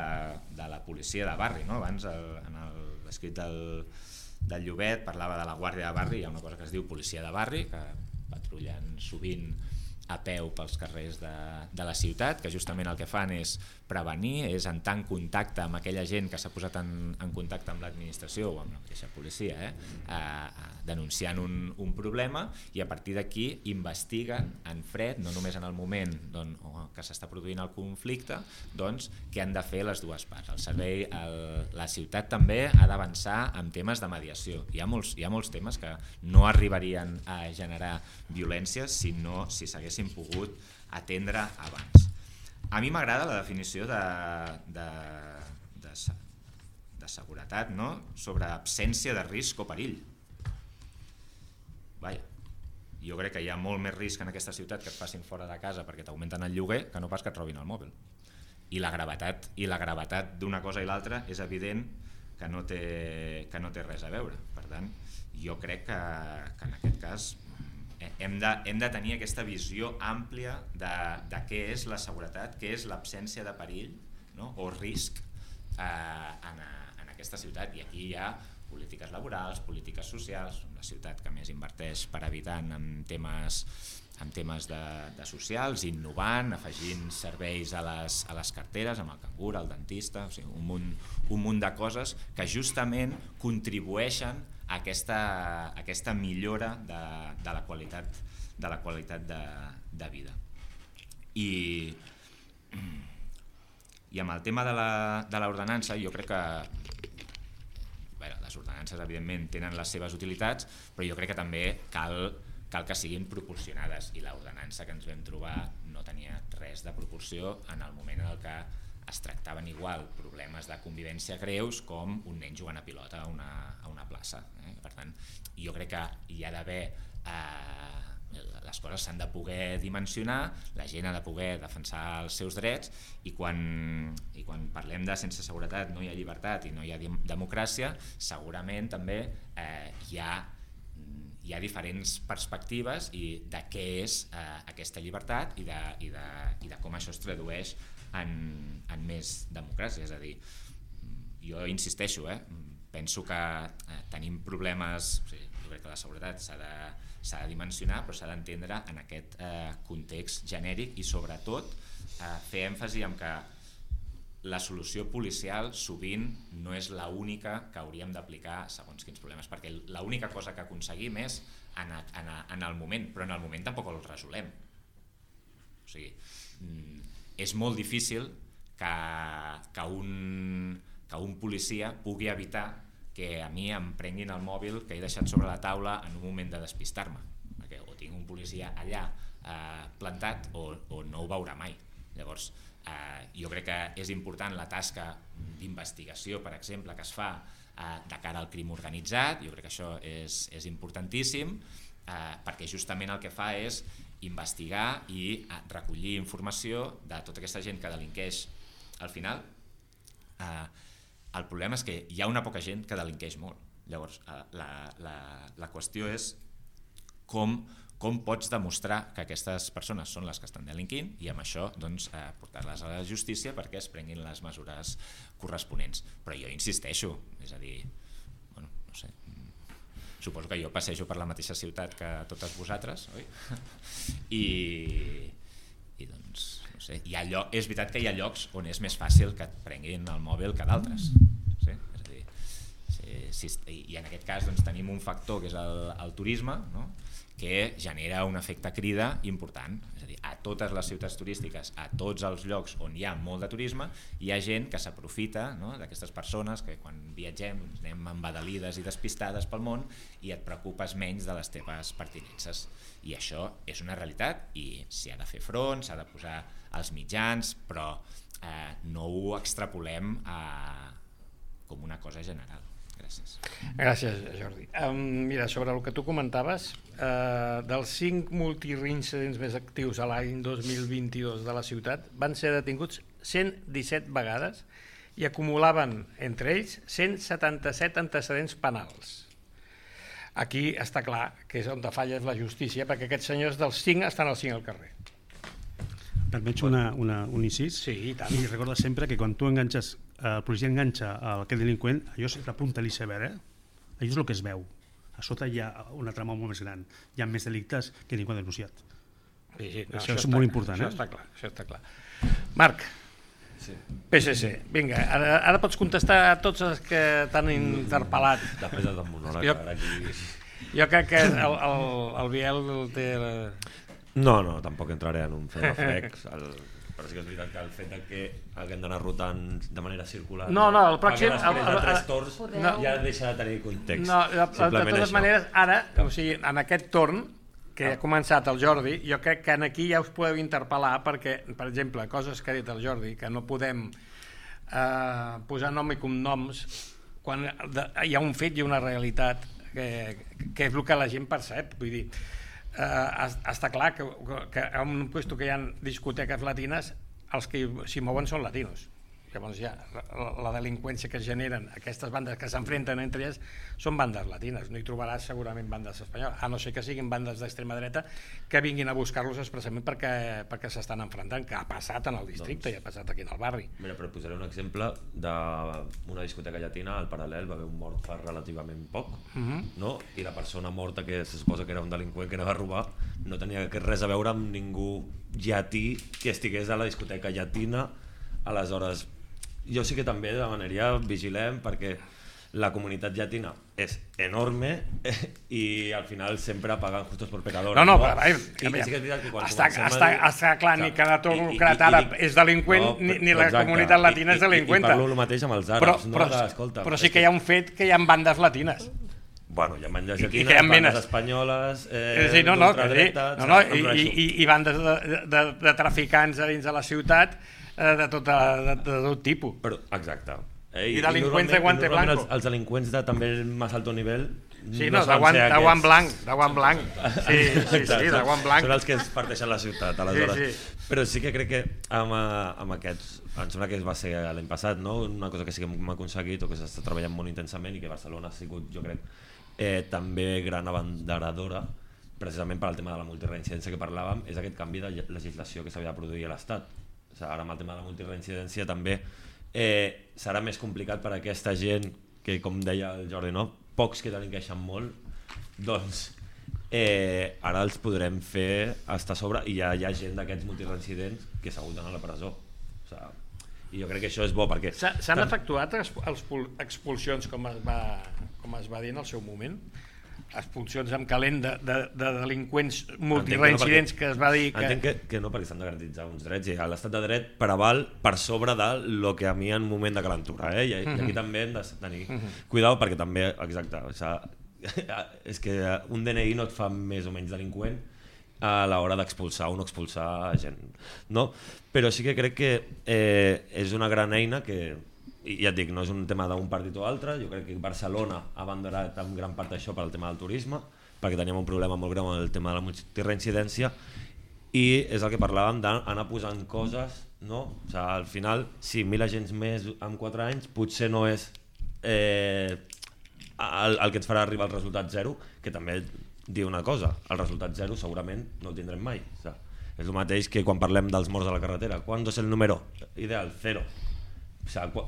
de la policia de barri. No? Abans, el, en l'escrit del, del Llobet, parlava de la guàrdia de barri, hi ha una cosa que es diu policia de barri, que patrullen sovint a peu pels carrers de, de la ciutat, que justament el que fan és prevenir, és entrar en contacte amb aquella gent que s'ha posat en, en contacte amb l'administració o amb la mateixa policia, eh? eh, denunciant un, un problema i a partir d'aquí investiguen en fred, no només en el moment doncs, que s'està produint el conflicte, doncs què han de fer les dues parts. El servei, el, la ciutat també ha d'avançar en temes de mediació. Hi ha molts, hi ha molts temes que no arribarien a generar violència si no si s'haguessin pogut atendre abans. A mi m'agrada la definició de, de, de, de seguretat, no? Sobre absència de risc o perill. Vaja, jo crec que hi ha molt més risc en aquesta ciutat que et passin fora de casa perquè t'augmenten el lloguer que no pas que et robin el mòbil. I la gravetat i la gravetat d'una cosa i l'altra és evident que no té, que no té res a veure. Per tant, jo crec que, que en aquest cas hem de, hem de tenir aquesta visió àmplia de, de què és la seguretat, què és l'absència de perill, no? O risc eh, en, en aquesta ciutat. I aquí hi ha polítiques laborals, polítiques socials, una ciutat que més inverteix per habitant en temes, en temes de, de socials, innovant, afegint serveis a les, a les carteres, amb el cangur, el dentista, o sigui, un munt, un munt de coses que justament contribueixen a aquesta, aquesta millora de, de la qualitat, de, la qualitat de, de vida. I, i amb el tema de l'ordenança, jo crec que bé, les ordenances evidentment tenen les seves utilitats, però jo crec que també cal, cal que siguin proporcionades i l'ordenança que ens vam trobar no tenia res de proporció en el moment en el que es tractaven igual problemes de convivència greus com un nen jugant a pilota a una, a una plaça. Eh? Per tant, jo crec que hi ha d'haver... Eh, les coses s'han de poder dimensionar, la gent ha de poder defensar els seus drets i quan, i quan parlem de sense seguretat no hi ha llibertat i no hi ha democràcia, segurament també eh, hi ha hi ha diferents perspectives i de què és eh, aquesta llibertat i de, i, de, i de com això es tradueix en, en més democràcia. És a dir, jo insisteixo, eh, penso que eh, tenim problemes, o sigui, jo crec que la seguretat s'ha de, s'ha de dimensionar, però s'ha d'entendre en aquest eh, context genèric i sobretot eh, fer èmfasi en que la solució policial sovint no és l'única que hauríem d'aplicar segons quins problemes, perquè l'única cosa que aconseguim és en, en, en el moment, però en el moment tampoc el resolem. O sigui, és molt difícil que, que, un, que un policia pugui evitar que a mi em prenguin el mòbil que he deixat sobre la taula en un moment de despistar-me, perquè o tinc un policia allà eh, plantat o, o no ho veurà mai. Llavors, eh, jo crec que és important la tasca d'investigació, per exemple, que es fa eh, de cara al crim organitzat. Jo crec que això és, és importantíssim, eh, perquè justament el que fa és investigar i eh, recollir informació de tota aquesta gent que delinqueix al final. Eh, el problema és que hi ha una poca gent que delinqueix molt. Llavors, eh, la, la, la qüestió és com, com pots demostrar que aquestes persones són les que estan delinquint i amb això doncs, eh, portar-les a la justícia perquè es prenguin les mesures corresponents. Però jo insisteixo, és a dir, bueno, no sé, suposo que jo passejo per la mateixa ciutat que totes vosaltres, oi? I, i doncs, no sé, hi ha lloc, és veritat que hi ha llocs on és més fàcil que et prenguin el mòbil que d'altres. Sí? És a dir, si, si, i en aquest cas doncs, tenim un factor que és el, el turisme, no? Que genera un efecte crida important. És a dir, a totes les ciutats turístiques, a tots els llocs on hi ha molt de turisme, hi ha gent que s'aprofita, no? D'aquestes persones que quan viatgem doncs, anem embadalides i despistades pel món i et preocupes menys de les teves pertinences. I això és una realitat i s'hi ha de fer front, s'ha de posar els mitjans, però eh, no ho extrapolem a, com una cosa general. Gràcies. Gràcies, Jordi. Um, mira, sobre el que tu comentaves, uh, dels cinc multireincidents més actius a l'any dos mil vint-i-dos de la ciutat, van ser detinguts cent disset vegades i acumulaven entre ells cent setanta-set antecedents penals. Aquí està clar que és on falla la justícia, perquè aquests senyors dels cinc estan els cinc al carrer. Permets una, una, un incís? Sí, i tant. I recorda sempre que quan tu enganxes, el policia enganxa aquest delinqüent, allò és la punta de l'iceberg, eh? Allò és el que es veu. A sota hi ha una trama molt més gran. Hi ha més delictes que ningú ha denunciat. Sí, sí, no, això, això és està, molt important. Això eh? està clar, això està clar. Marc, Sí. P S C, vinga, ara, ara pots contestar a tots els que t'han interpel·lat. Després del monòleg, Jo- ara aquí... Jo crec que el, el, el Biel té... No, no, tampoc entraré en un frec, el... però sí que és veritat que el fet de que haguem d'anar rotant de manera circular No, no, el pròxim- fa que després el- el- de tres torns no. ja deixa de tenir context. No, de, de Simplement totes això. maneres, ara, o sigui, en aquest torn, que ha començat el Jordi, jo crec que aquí ja us podeu interpel·lar perquè, per exemple, coses que ha dit el Jordi, que no podem eh, posar nom i cognoms quan de, hi ha un fet i una realitat que, que és el que la gent percep, vull dir, eh, està clar que, que en un lloc que hi ha discoteques latines, els que s'hi mouen són latinos. Llavors ja, la, la delinqüència que es generen aquestes bandes que s'enfrenten entre elles són bandes latines, no hi trobaràs segurament bandes espanyoles, a no ser que siguin bandes d'extrema dreta que vinguin a buscar-los expressament perquè, perquè s'estan enfrontant, que ha passat en el districte doncs, i ha passat aquí en el barri. Mira, però posaré un exemple d'una discoteca llatina, al Paral·lel va haver un mort fa relativament poc, Uh-huh. no? I la persona morta, que se suposa que era un delinqüent que anava a robar, no tenia res a veure amb ningú llatí que estigués a la discoteca llatina. Aleshores, jo sí que també demanaria vigilem perquè la comunitat llatina és enorme eh, i al final sempre paguen justos por pecadores. No, no, no? però a veure, I, a veure, sí que és veritat que quan està, comencem està, a dir- està clar, ni que la I- i- concret i àrab dic- és delinqüent, No, ni, però- ni la exacte. comunitat latina I- és i- delinqüenta. I parlo el mateix amb els però, àrabs, no? però, De, escolta, però és sí que hi ha un fet que hi ha bandes latines. Bueno, hi ha bandes I- i llatines, que hi ha bandes menes. espanyoles, eh, Eh, sí, no, no, que sí, d'ultradreta, no, no, em i, refereixo. i, i bandes de, de, de traficants a dins de la ciutat eh, de, tota, de, de tot tipus. Però, exacte. Eh, I delinqüents de normalment- guante normalment blanco. Els, els delinqüents de també més alto nivell Sí, no, de solen guant, ser de guant aquests. blanc, de guant blanc. Sí, sí, sí, de guant blanc. Són els que es parteixen la ciutat, aleshores. Sí, sí. Però sí que crec que amb, eh, amb aquests, em sembla que va ser l'any passat, no? Una cosa que sí que hem aconseguit o que s'està treballant molt intensament i que Barcelona ha sigut, jo crec, eh, també gran abanderadora, precisament per al tema de la multireincidència que parlàvem, és aquest canvi de legislació que s'havia de produir a l'Estat. O sigui, ara amb el tema de la multireincidència també eh, serà més complicat per a aquesta gent que, com deia el Jordi, no? Pocs que delinqueixen molt, doncs eh, ara els podrem fer estar a sobre i ja hi ha gent d'aquests multireincidents que s'ha hagut d'anar a la presó. O sigui, i jo crec que això és bo perquè... S'ha- S'han efectuat exp- els pul- expulsions com es, va, com es va dir en el seu moment? expulsions amb calent de, de, de delinqüents multireincidents que es va dir que... Entenc que, que no, perquè s'han de garantitzar uns drets i l'estat de dret preval per sobre de lo que a mi en moment de calentura, eh? I, i aquí també hem de tenir cuidado perquè també, exacte, o sigui, és que un D N I no et fa més o menys delinqüent a l'hora d'expulsar o no expulsar gent, no? Però sí que crec que eh, és una gran eina que, i ja et dic, no és un tema d'un partit o altre, jo crec que Barcelona ha abandonat en gran part això per al tema del turisme, perquè teníem un problema molt greu amb el tema de la multireincidència, i és el que parlàvem d'anar posant coses, no? O sigui, al final, sí, mil agents més en quatre anys potser no és eh, el, el que ens farà arribar al resultat zero, que també dir una cosa, el resultat zero segurament no el tindrem mai. O sigui, és el mateix que quan parlem dels morts a la carretera. ¿Cuándo es el número ideal? Cero. O sigui,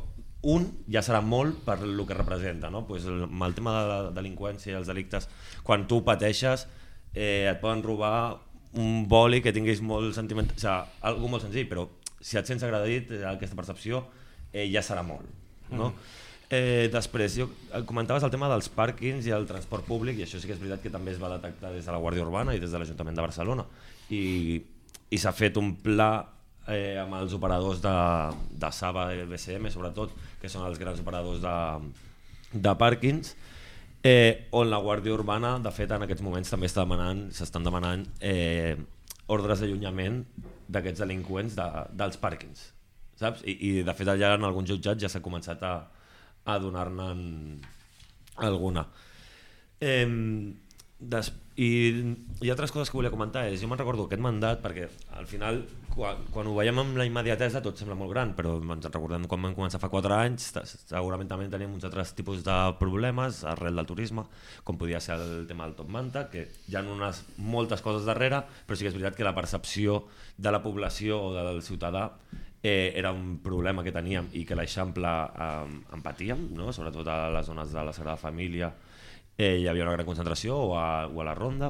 un ja serà molt per el que representa, no? Pues el, amb el tema de la delinqüència i els delictes, quan tu pateixes eh, et poden robar un boli que tinguis molt sentiment, o sigui, algo molt senzill, però si et sents agredit, aquesta percepció eh, ja serà molt, no? Mm. Eh, després, jo, comentaves el tema dels pàrquings i el transport públic, i això sí que és veritat que també es va detectar des de la Guàrdia Urbana i des de l'Ajuntament de Barcelona, i, i s'ha fet un pla eh, amb els operadors de, de Saba i B C M, sobretot, que són els grans operadors de, de pàrquings, eh, on la Guàrdia Urbana, de fet, en aquests moments també està demanant, s'estan demanant eh, ordres d'allunyament d'aquests delinqüents de, dels pàrquings, saps? I, i de fet allà en alguns jutjats ja s'ha començat a a donar-ne alguna. Eh, des, i, i altres coses que volia comentar és, jo me'n recordo aquest mandat, perquè al final quan, quan ho veiem amb la immediatesa tot sembla molt gran, però ens recordem quan vam començar fa quatre anys, segurament també tenim uns altres tipus de problemes arrel del turisme, com podia ser el tema del Top Manta, que hi ha unes moltes coses darrere, però sí que és veritat que la percepció de la població o del ciutadà Eh, era un problema que teníem i que l'Eixample eh, en patíem, no? Sobretot a les zones de la Sagrada Família eh, hi havia una gran concentració, o a, o a la Ronda,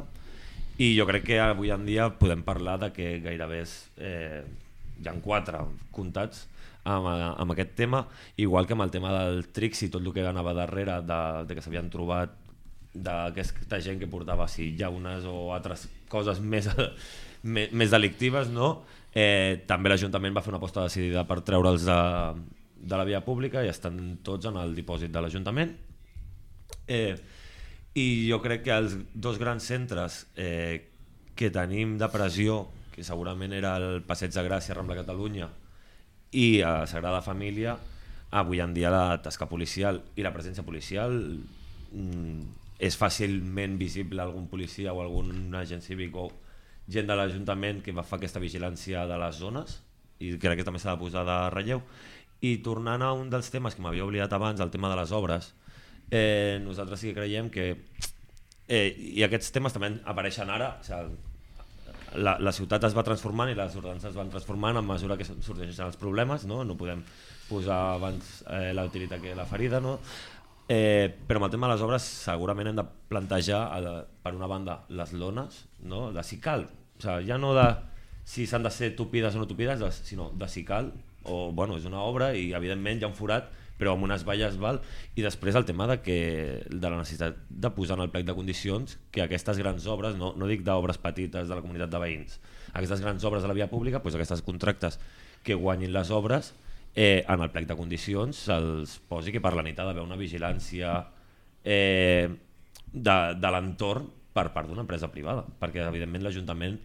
i jo crec que avui en dia podem parlar de que gairebé és, eh, hi ha quatre comptats amb, amb aquest tema, igual que amb el tema del Trix i tot el que anava darrere de, de que s'havien trobat d'aquesta gent que portava sí, llaunes o altres coses més, més, més delictives, no? Eh, també l'Ajuntament va fer una aposta decidida per treure'ls de, de la via pública i estan tots en el dipòsit de l'Ajuntament. Eh, I jo crec que els dos grans centres eh, que tenim de pressió, que segurament era el Passeig de Gràcia, Rambla Catalunya i a Sagrada Família, avui en dia la tasca policial i la presència policial mm, és fàcilment visible algun policia o algun agent cívic o gent de l'Ajuntament que va fer aquesta vigilància de les zones, i crec que també s'ha de posar de relleu. I tornant a un dels temes que m'havia oblidat abans, el tema de les obres, eh, nosaltres sí que creiem que eh, i aquests temes també apareixen ara, o sigui, la, la ciutat es va transformant i les ordenances es van transformant a mesura que sorgeixen els problemes, no, no podem posar abans eh, la utilitat que la ferida, no? Eh, però amb el tema de les obres segurament hem de plantejar eh, per una banda les lones, no? De si cal, o sigui, ja no de si s'han de ser tupides o no tupides, de, sinó de si cal, o bueno, és una obra i evidentment hi ha un forat però amb unes valles val, i després el tema de, que, de la necessitat de posar en el plec de condicions que aquestes grans obres, no, no dic d'obres petites de la comunitat de veïns, aquestes grans obres de la via pública, doncs aquestes contractes que guanyin les obres Eh, en el plec de condicions se'ls posi que per la nit ha d'haver una vigilància eh, de, de l'entorn per part d'una empresa privada, perquè evidentment l'Ajuntament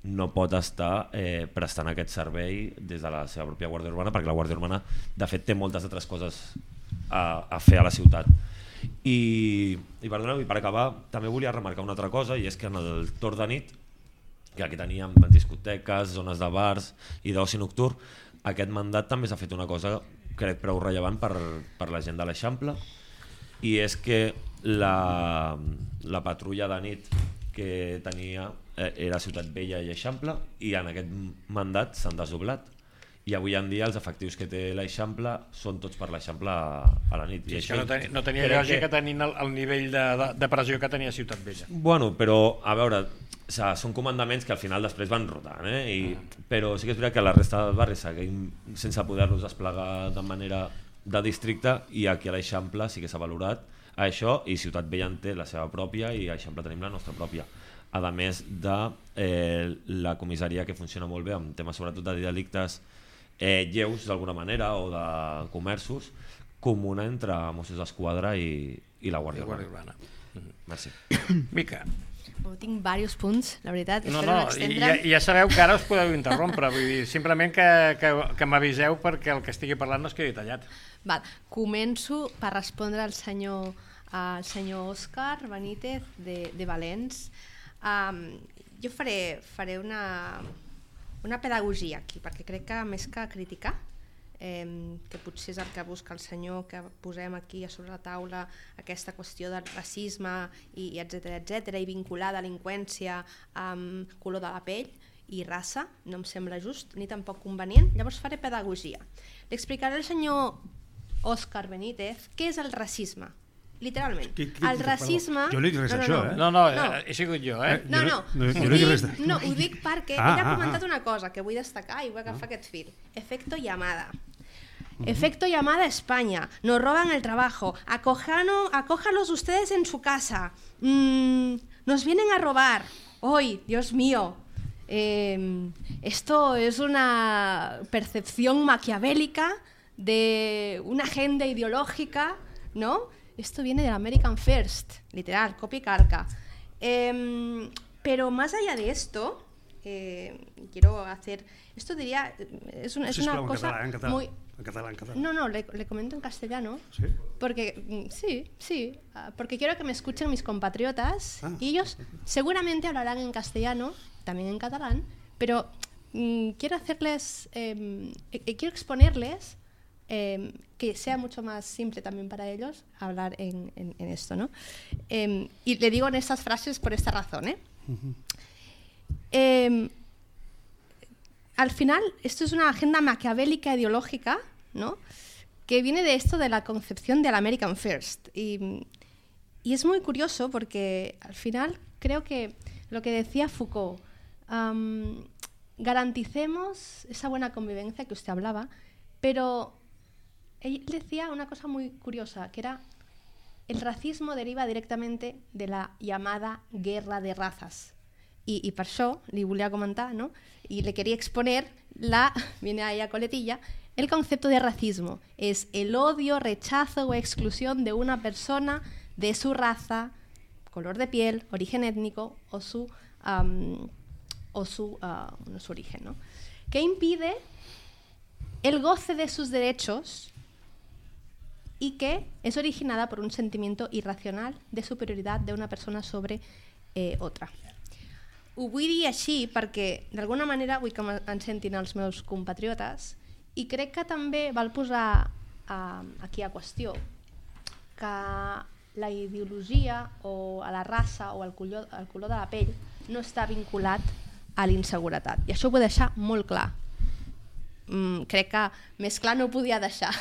no pot estar eh, prestant aquest servei des de la seva pròpia Guàrdia Urbana, perquè la Guàrdia Urbana de fet té moltes altres coses a, a fer a la ciutat. I, i, perdoneu, i per acabar també volia remarcar una altra cosa, i és que en el torn de nit, que aquí teníem discoteques, zones de bars i d'oci nocturn, aquest mandat també s'ha fet una cosa crec prou rellevant per, per la gent de l'Eixample, i és que la, la patrulla de nit que tenia eh, era Ciutat Vella i Eixample, i en aquest mandat s'han desdoblat, i avui en dia els efectius que té l'Eixample són tots per l'Eixample a, a la nit. I això no, ten, no tenia lògica que... tenint el, el nivell de, de, de pressió que tenia Ciutat Vella. Bueno, però a veure, o sigui, són comandaments que al final després van rotant, eh? I, però sí que és veritat que la resta del barri seguim sense poder-los desplegar de manera de districte, i aquí a l'Eixample sí que s'ha valorat això, i Ciutat Vella en té la seva pròpia i a Eixample tenim la nostra pròpia. A més de eh, la comissaria, que funciona molt bé amb temes sobretot de delictes eh, lleus d'alguna manera o de comerços, comuna entre Mossos d'Esquadra i, i la Guàrdia Urbana. Urbana. Merci. Mica. Oh, tinc diversos punts, la veritat. No, espero no, no ja, ja sabeu que ara us podeu interrompre, vull dir, simplement que, que, que m'aviseu perquè el que estigui parlant no es quedi tallat. Val. Començo per respondre al senyor, al senyor Òscar Benítez de, de Valens. Um, jo faré, faré una, una pedagogia aquí, perquè crec que més que criticar, eh, que potser és el que busca el senyor, que posem aquí a sobre la taula aquesta qüestió del racisme i, i etcètera, etcètera, i vincular delinqüència amb color de la pell i raça, no em sembla just ni tampoc convenient. Llavors faré pedagogia. Li explicaré al senyor Òscar Benítez què és el racisme. Literalment. Qui, qui, el racisme... Jo no he dit res no, no, d'això, no. eh? No, no, No. he sigut jo, eh? No, no, Jo no- jo ho no dic dic, res de- no, ho dic perquè Ah, ell ha ah, comentat ah. una cosa que vull destacar i vull agafar aquest fil. Efecto llamada. Efecto llamada a España. Nos roban el trabajo. Acojano, acójalos ustedes en su casa. Mm, nos vienen a robar. Hoy, Dios mío. Eh, esto es una percepción maquiavélica de una agenda ideológica, ¿no? Esto viene del American First, literal, copia y calca. Eh, pero más allá de esto, eh, quiero hacer... Esto diría... Es una, es Sisplau, una en cosa català, en català. muy... En català, en català. No, no, le, le comento en castellano. ¿Sí? Porque, mm, sí, sí, ah, porque quiero que me escuchen mis compatriotas Ah. y ellos seguramente hablarán en castellano, también en catalán, pero mm, quiero hacerles, eh, eh, quiero exponerles eh, que sea mucho más simple también para ellos hablar en, en, en esto, ¿no? Eh, y le digo en estas frases por esta razón, ¿eh? Uh-huh. Eh, al final, esto es una agenda maquiavélica ideológica, ¿no? Que viene de esto de la concepción del American First. Y, y es muy curioso porque al final creo que lo que decía Foucault, um, garanticemos esa buena convivencia que usted hablaba, pero él decía una cosa muy curiosa, que era el racismo deriva directamente de la llamada guerra de razas. Y, y per això li volia comentar, ¿no? Y le quería exponer la, viene ahí a coletilla, el concepto de racismo. Es el odio, rechazo o exclusión de una persona de su raza, color de piel, origen étnico o su, um, o su, uh, no, su origen, ¿no? Que impide el goce de sus derechos y que es originada por un sentimiento irracional de superioridad de una persona sobre eh, otra. Ho vull dir així perquè d'alguna manera vull que em sentin els meus compatriotes i crec que també val posar uh, aquí a qüestió que la ideologia o a la raça o al color, al color de la pell no està vinculat a l'inseguretat. I això ho vull deixar molt clar. Mm, crec que més clar no ho podia deixar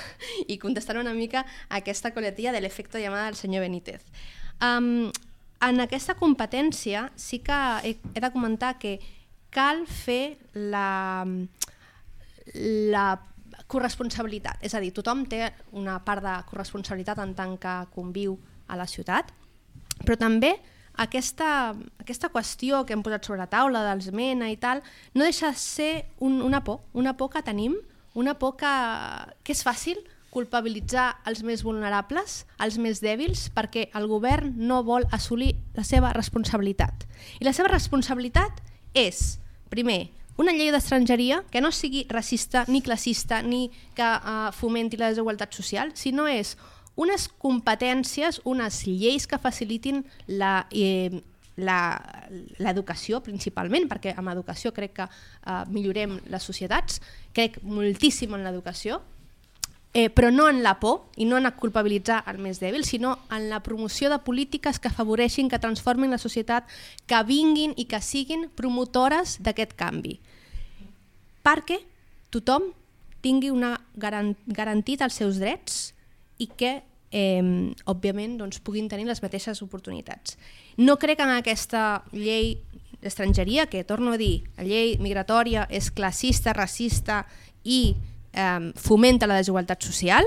i contestar una mica a aquesta coletilla de l'efecte llamada del senyor Benítez. Um, En aquesta competència sí que he, he de comentar que cal fer la, la corresponsabilitat. És a dir, tothom té una part de corresponsabilitat en tant que conviu a la ciutat, però també aquesta, aquesta qüestió que hem posat sobre la taula dels MENA i tal, no deixa de ser un, una por, una por que tenim, una por que, que és fàcil culpabilitzar els més vulnerables, els més dèbils, perquè el govern no vol assolir la seva responsabilitat. I la seva responsabilitat és, primer, una llei d'estrangeria que no sigui racista ni classista ni que uh, fomenti la desigualtat social, sinó és unes competències, unes lleis que facilitin la, eh, l'educació principalment, perquè amb educació crec que uh, millorem les societats, crec moltíssim en l'educació, Eh, però no en la por i no en culpabilitzar el més dèbil, sinó en la promoció de polítiques que afavoreixin, que transformin la societat, que vinguin i que siguin promotores d'aquest canvi. Perquè tothom tingui una garan garantit els seus drets i que, eh, òbviament, doncs, puguin tenir les mateixes oportunitats. No crec en aquesta llei d'estrangeria, que, torno a dir, la llei migratòria és classista, racista i fomenta la desigualtat social,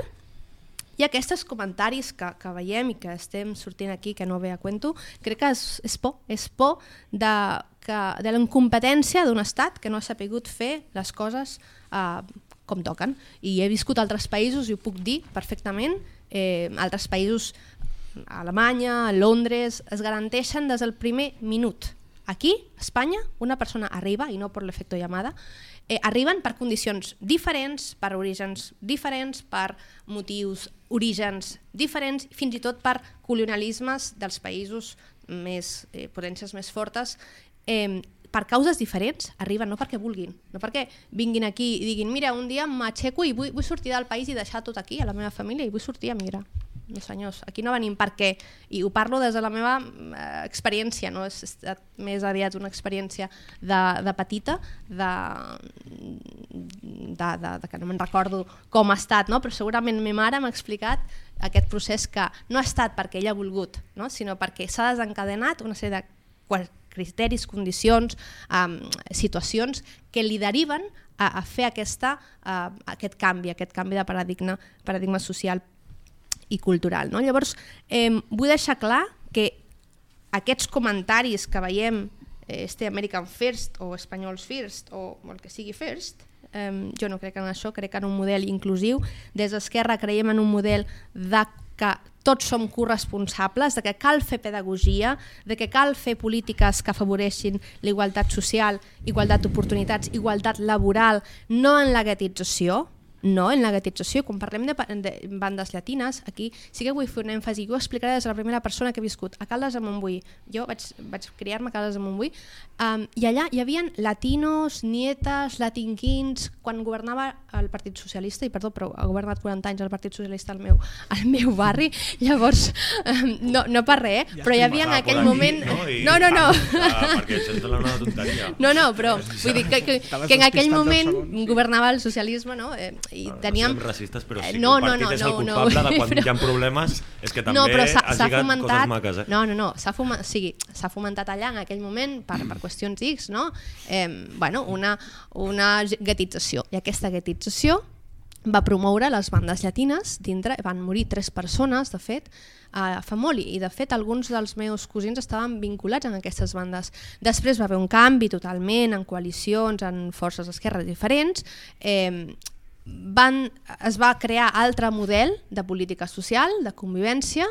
I aquests comentaris que, que veiem i que estem sortint aquí, que no ve a cuento, crec que és, és por, és por de, que, de la incompetència d'un estat que no ha sapigut fer les coses eh, com toquen. I he viscut a altres països i ho puc dir perfectament, eh, altres països, a Alemanya, a Londres, es garanteixen des del primer minut. Aquí, a Espanya, una persona arriba, i no per l'efecte llamada, eh, arriben per condicions diferents, per orígens diferents, per motius, orígens diferents, fins i tot per colonialismes dels països més, eh, potències més fortes, eh, per causes diferents, arriben no perquè vulguin, no perquè vinguin aquí i diguin mira, un dia m'aixeco i vull, vull sortir del país i deixar tot aquí, a la meva família, i vull sortir a migrar. No senyors, aquí no venim perquè, i ho parlo des de la meva eh, experiència, no? És estat més aviat una experiència de, de petita, de, de, de, de que no me'n recordo com ha estat, no? Però segurament ma mare m'ha explicat aquest procés que no ha estat perquè ella ha volgut, no? Sinó perquè s'ha desencadenat una sèrie de criteris, condicions, um, situacions que li deriven a, a fer aquesta, uh, aquest canvi, aquest canvi de paradigma, paradigma social i cultural. No? Llavors, eh, vull deixar clar que aquests comentaris que veiem, eh, este American First o Espanyols First o el que sigui First, eh, jo no crec en això, crec en un model inclusiu. Des d'Esquerra creiem en un model de que tots som corresponsables, de que cal fer pedagogia, de que cal fer polítiques que afavoreixin la igualtat social, igualtat d'oportunitats, igualtat laboral, no en la guetització, no en la guetització. Quan parlem de, de bandes llatines, aquí sí que vull fer un èmfasi, jo ho explicaré des de la primera persona que he viscut a Caldes de Montbui. Jo vaig, vaig criar-me a Caldes de Montbui, um, i allà hi havia latinos, nietes, latinquins, quan governava el Partit Socialista, i perdó, però ha governat quaranta anys el Partit Socialista al meu, al meu barri, llavors, um, no, no per res, eh? Però hi havia en aquell moment... No, no, no. Perquè això és una tonteria. No, no, però vull dir que, que, que en aquell moment governava el socialisme, no? Eh, i no, teníem... no som racistes, però sí que no, el partit no, no, és el no, culpable no, de quan però... hi ha problemes, és que també no, però has lligat fomentat... coses maques. Eh? No, no, no, s'ha fomentat, o sigui, fomentat allà en aquell moment per, per qüestions X, no? Eh, bueno, una, una guetització, i aquesta guetització va promoure les bandes llatines, dintre van morir tres persones, de fet, a Famoli, i de fet alguns dels meus cosins estaven vinculats en aquestes bandes. Després va haver un canvi totalment en coalicions, en forces d'esquerra diferents, eh, van, es va crear altre model de política social, de convivència,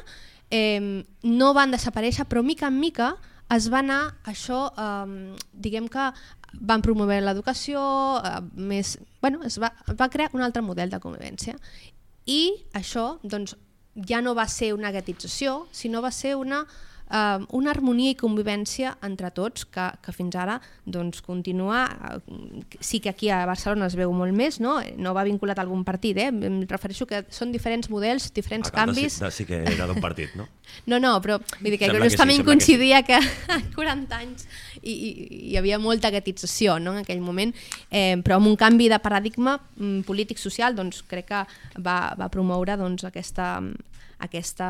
eh, no van desaparèixer, però mica en mica es va anar això, eh, diguem que van promoure l'educació, eh, més, bueno, es va, va crear un altre model de convivència, i això doncs, ja no va ser una guetització, sinó va ser una, uh, una harmonia i convivència entre tots, que, que fins ara doncs, continua, uh, sí que aquí a Barcelona es veu molt més, no, no va vinculat a algun partit, eh? Em refereixo que són diferents models, diferents canvis. Sí, sí que era d'un partit, no? No, no, però vull dir que sembla justament que sí, coincidia que, sí. que quaranta anys i, i hi havia molta guetització, no, en aquell moment, eh, però amb un canvi de paradigma mm, polític-social doncs, crec que va, va promoure doncs, aquesta, aquesta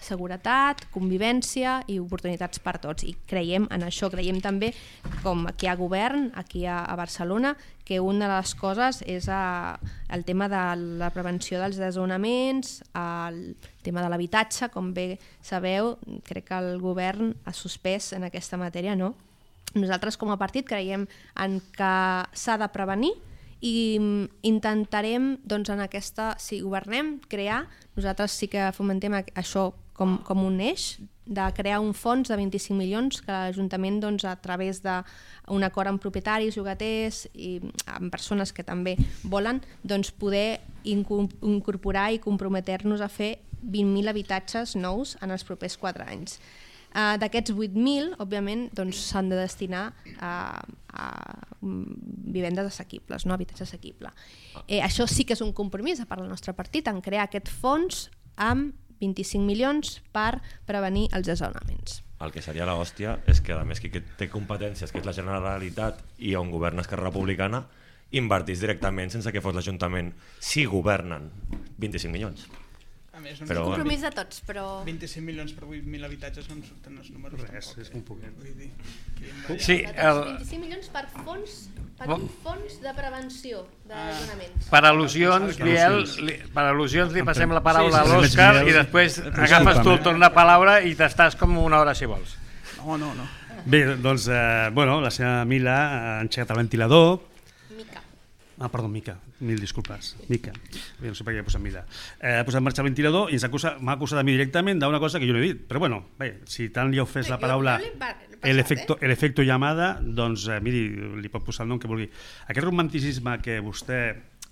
seguretat, convivència i oportunitats per tots, i creiem en això, creiem també com aquí a govern, aquí a, a Barcelona, que una de les coses és a, el tema de la prevenció dels desnonaments, el tema de l'habitatge, com bé sabeu, crec que el govern ha suspès en aquesta matèria, no? Nosaltres com a partit creiem en que s'ha de prevenir i intentarem, doncs, en aquesta, si governem, crear, nosaltres sí que fomentem això com, com un eix, de crear un fons de vint-i-cinc milions que l'Ajuntament, doncs, a través d'un acord amb propietaris, llogaters i amb persones que també volen, doncs, poder incorporar i comprometer-nos a fer vint mil habitatges nous en els propers quatre anys. Uh, D'aquests vuit mil, òbviament, doncs, s'han de destinar a, a vivendes assequibles, no? Habitatge assequible. Eh, això sí que és un compromís per al nostre partit, en crear aquest fons amb vint-i-cinc milions per prevenir els desnonaments. El que seria l'hòstia és que, a més, qui té competències, que és la Generalitat i on governa Esquerra Republicana, invertís directament sense que fos l'Ajuntament, si governen vint-i-cinc milions. A més, no però, és un compromís de tots, però... vint-i-cinc milions per vuit mil habitatges no em surten els números. Res, és un poquet. Vull dir, sí, el... vint-i-cinc milions per fons Per un fons de prevenció de desnonaments. Per al·lusions, Biel, li, per al·lusions li passem la paraula a l'Òscar i després agafes tu el torn de paraula i t'estàs com una hora si vols. No, no, no. Bé, doncs, eh, bueno, la seva Mila ha engegat el ventilador. Mica. Ah, perdó, Mica, mil disculpes. Mica, bé, no sé per què he posat Mila. Eh, ha posat en marxa el ventilador i m'ha acusat a mi directament d'una cosa que jo no he dit. Però bueno, bé, si tant li heu fet la paraula el efecto, el efecto llamada, doncs eh, miri, li pot posar el nom que vulgui. Aquest romanticisme que vostè